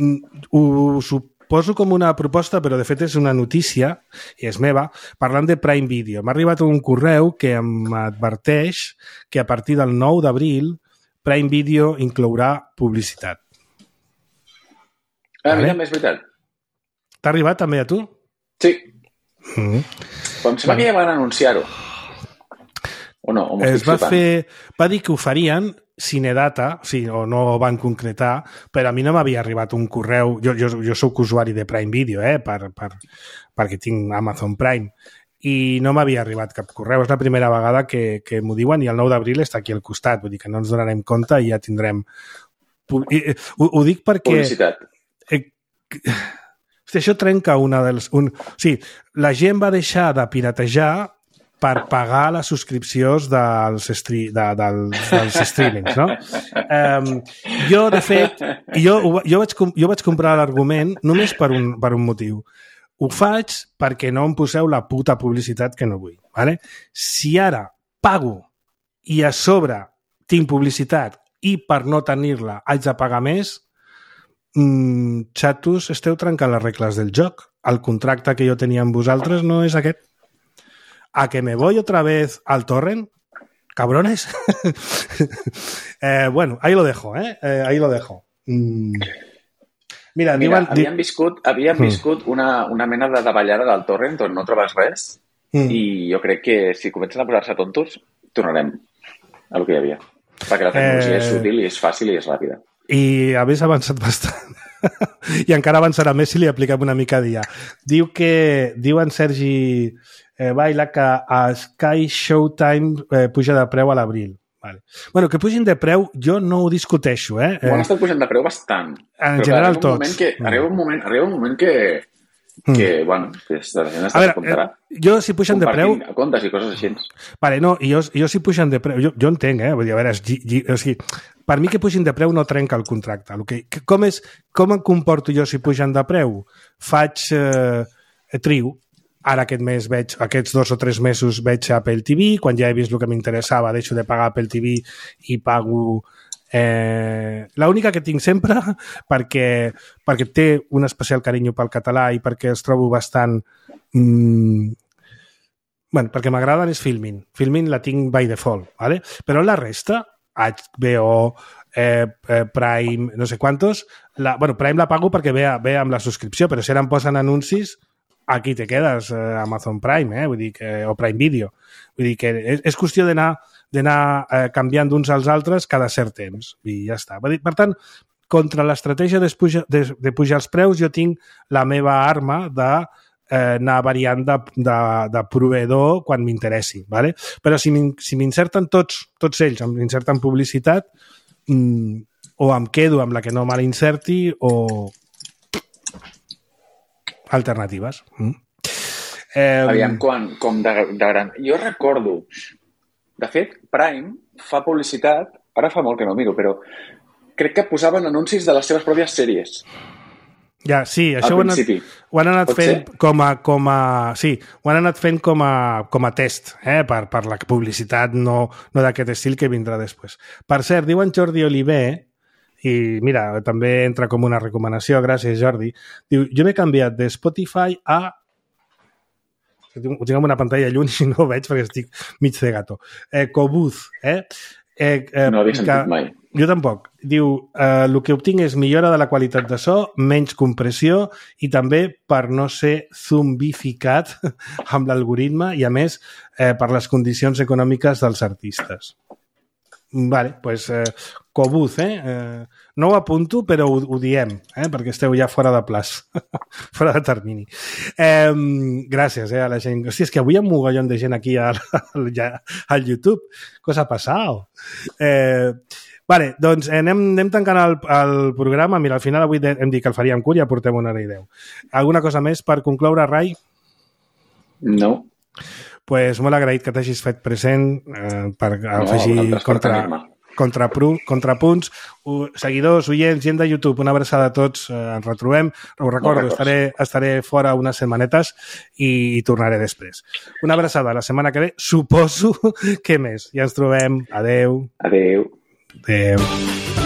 S2: Ho suposo com una proposta, però de fet és una notícia, i és meva, parlant de Prime Video. M'ha arribat un correu que em adverteix que a partir del nou d'abril Prime Video inclourà publicitat.
S5: Ah, mira, és veritat.
S2: T'ha arribat també a tu?
S5: Sí. Mm. Però em sembla que ja van anunciar-ho. O no? O
S2: es va fer... Va dir que ho farien Cinedata, sí, o no van concretar, però a mi no m'havia arribat un correu... Jo, jo, jo soc usuari de Prime Video, eh, per, per, perquè tinc Amazon Prime, i no m'havia arribat cap correu. És la primera vegada que, que m'ho diuen i el nou d'abril està aquí al costat, vull dir que no ens donarem compte i ja tindrem... I, ho, ho dic perquè...
S5: Publicitat.
S2: Eh, Hosti, això trenca una dels... Un... O sigui, la gent va deixar de piratejar per pagar les subscripcions dels, estri... de, dels, dels streamings, no? Um, jo, de fet, jo, jo, vaig, jo vaig comprar l'argument només per un, per un motiu. Ho faig perquè no em poseu la puta publicitat que no vull. Vale? Si ara pago i a sobre tinc publicitat i per no tenir-la haig de pagar més, mmm, xatos, esteu trencant les regles del joc. El contracte que jo tenia amb vosaltres no és aquest. A que me voy otra vez al torrent, cabrones. eh, bueno, ahí lo dejo, ¿eh? eh ahí lo dejo. Mm. Mira,
S5: Mira
S2: diuen...
S5: havíem viscut, havíem viscut mm. una, una mena de davallada del torrent on no trobes res mm. i jo crec que si comencen a posar-se tontos, tornarem a lo que hi havia. Perquè la tecnologia eh... és útil i és fàcil i és ràpida.
S2: I hagués avançat bastant. I encara avançarà més si li apliquem una mica dia. Diu que... Diu en Sergi eh, Baila que a Sky Showtime eh, puja de preu a l'abril. Vale. Bueno, que pugin de preu jo no ho discuteixo, eh?
S5: Ho han estat pujant de preu bastant.
S2: En però, general
S5: clar,
S2: tots.
S5: Que, arriba, un moment, arriba un moment que... que, mm. bueno, que la gent està a comptarà.
S2: Eh, jo, si pugen de preu...
S5: comptes i coses així.
S2: Vale, no, i jo, jo si pugen de preu... Jo, jo entenc, eh? Vull dir, a veure, gi, gi, o sigui, per mi que pugen de preu no trenca el contracte. El que, com, és, com em comporto jo si pugen de preu? Faig eh, trio. Ara aquest mes veig, aquests dos o tres mesos veig Apple T V, quan ja he vist el que m'interessava deixo de pagar Apple T V i pago... Eh, l'única que tinc sempre perquè, perquè té un especial carinyo pel català i perquè els trobo bastant mm, bueno, perquè m'agraden és Filmin. Filmin la tinc by default, ¿vale? Però la resta H B O, eh, eh, Prime, no sé quantos la, bueno, Prime la pago perquè ve, ve amb la subscripció, però si ara em posen anuncis aquí te quedes, eh, Amazon Prime, eh? Vull dir que, o Prime Video. Vull dir que és, és qüestió d'anar d'anar eh, canviant d'uns als altres cada cert temps. I ja està. Per tant, contra l'estratègia de, de, de pujar els preus, jo tinc la meva arma de eh, anar variant de, de, de proveïdor quan m'interessi. ¿Vale? Però si m'inserten tots, tots ells, m'inserten publicitat, mm, o em quedo amb la que no me l'inserti o... alternatives. Mm.
S5: Eh, Aviam, quan, com de, de gran... Jo recordo, de fet, Prime fa publicitat, ara fa molt que no miro, però crec que posaven anuncis de les seves pròpies sèries.
S2: Ja, sí, això ho han, anat, ho han anat fent com a, com a... Sí, ho han anat fent com a, com a test, eh? per, per la publicitat no, no d'aquest estil que vindrà després. Per cert, diu en Jordi Oliver, i mira, també entra com una recomanació, gràcies Jordi, diu, jo m'he canviat de Spotify a... Ho tinc amb una pantalla lluny i no ho veig perquè estic mig de gato. Eh, Cobuz, eh? eh, eh
S5: no havia sentit que... mai.
S2: Jo tampoc. Diu, eh, el que obtinc és millora de la qualitat de so, menys compressió i també per no ser zombificat amb l'algoritme i, a més, eh, per les condicions econòmiques dels artistes. Vale, pues eh, Cobuz, eh? eh? No ho apunto, però ho, ho diem, eh? Perquè esteu ja fora de plaç, fora de termini. Eh, gràcies eh, a la gent. Hòstia, és que avui hi ha un mogollon de gent aquí al, al, al YouTube. Cosa ha passat? Eh, vale, doncs anem, anem tancant el, el programa. Mira, al final avui hem dit que el faríem curt i ja portem una hora i deu. Alguna cosa més per concloure, Rai?
S5: No.
S2: Pues molt agraït que t'hagis fet present eh, per afegir no, contra, contra, contrapunts. Uh, seguidors, oients, gent de YouTube, una abraçada a tots. Eh, ens retrobem. Ho recordo, no estaré, estaré fora unes setmanetes i, i tornaré després. Una abraçada la setmana que ve. Suposo que més. Ja ens trobem. Adeu.
S5: Adeu.
S2: Adeu.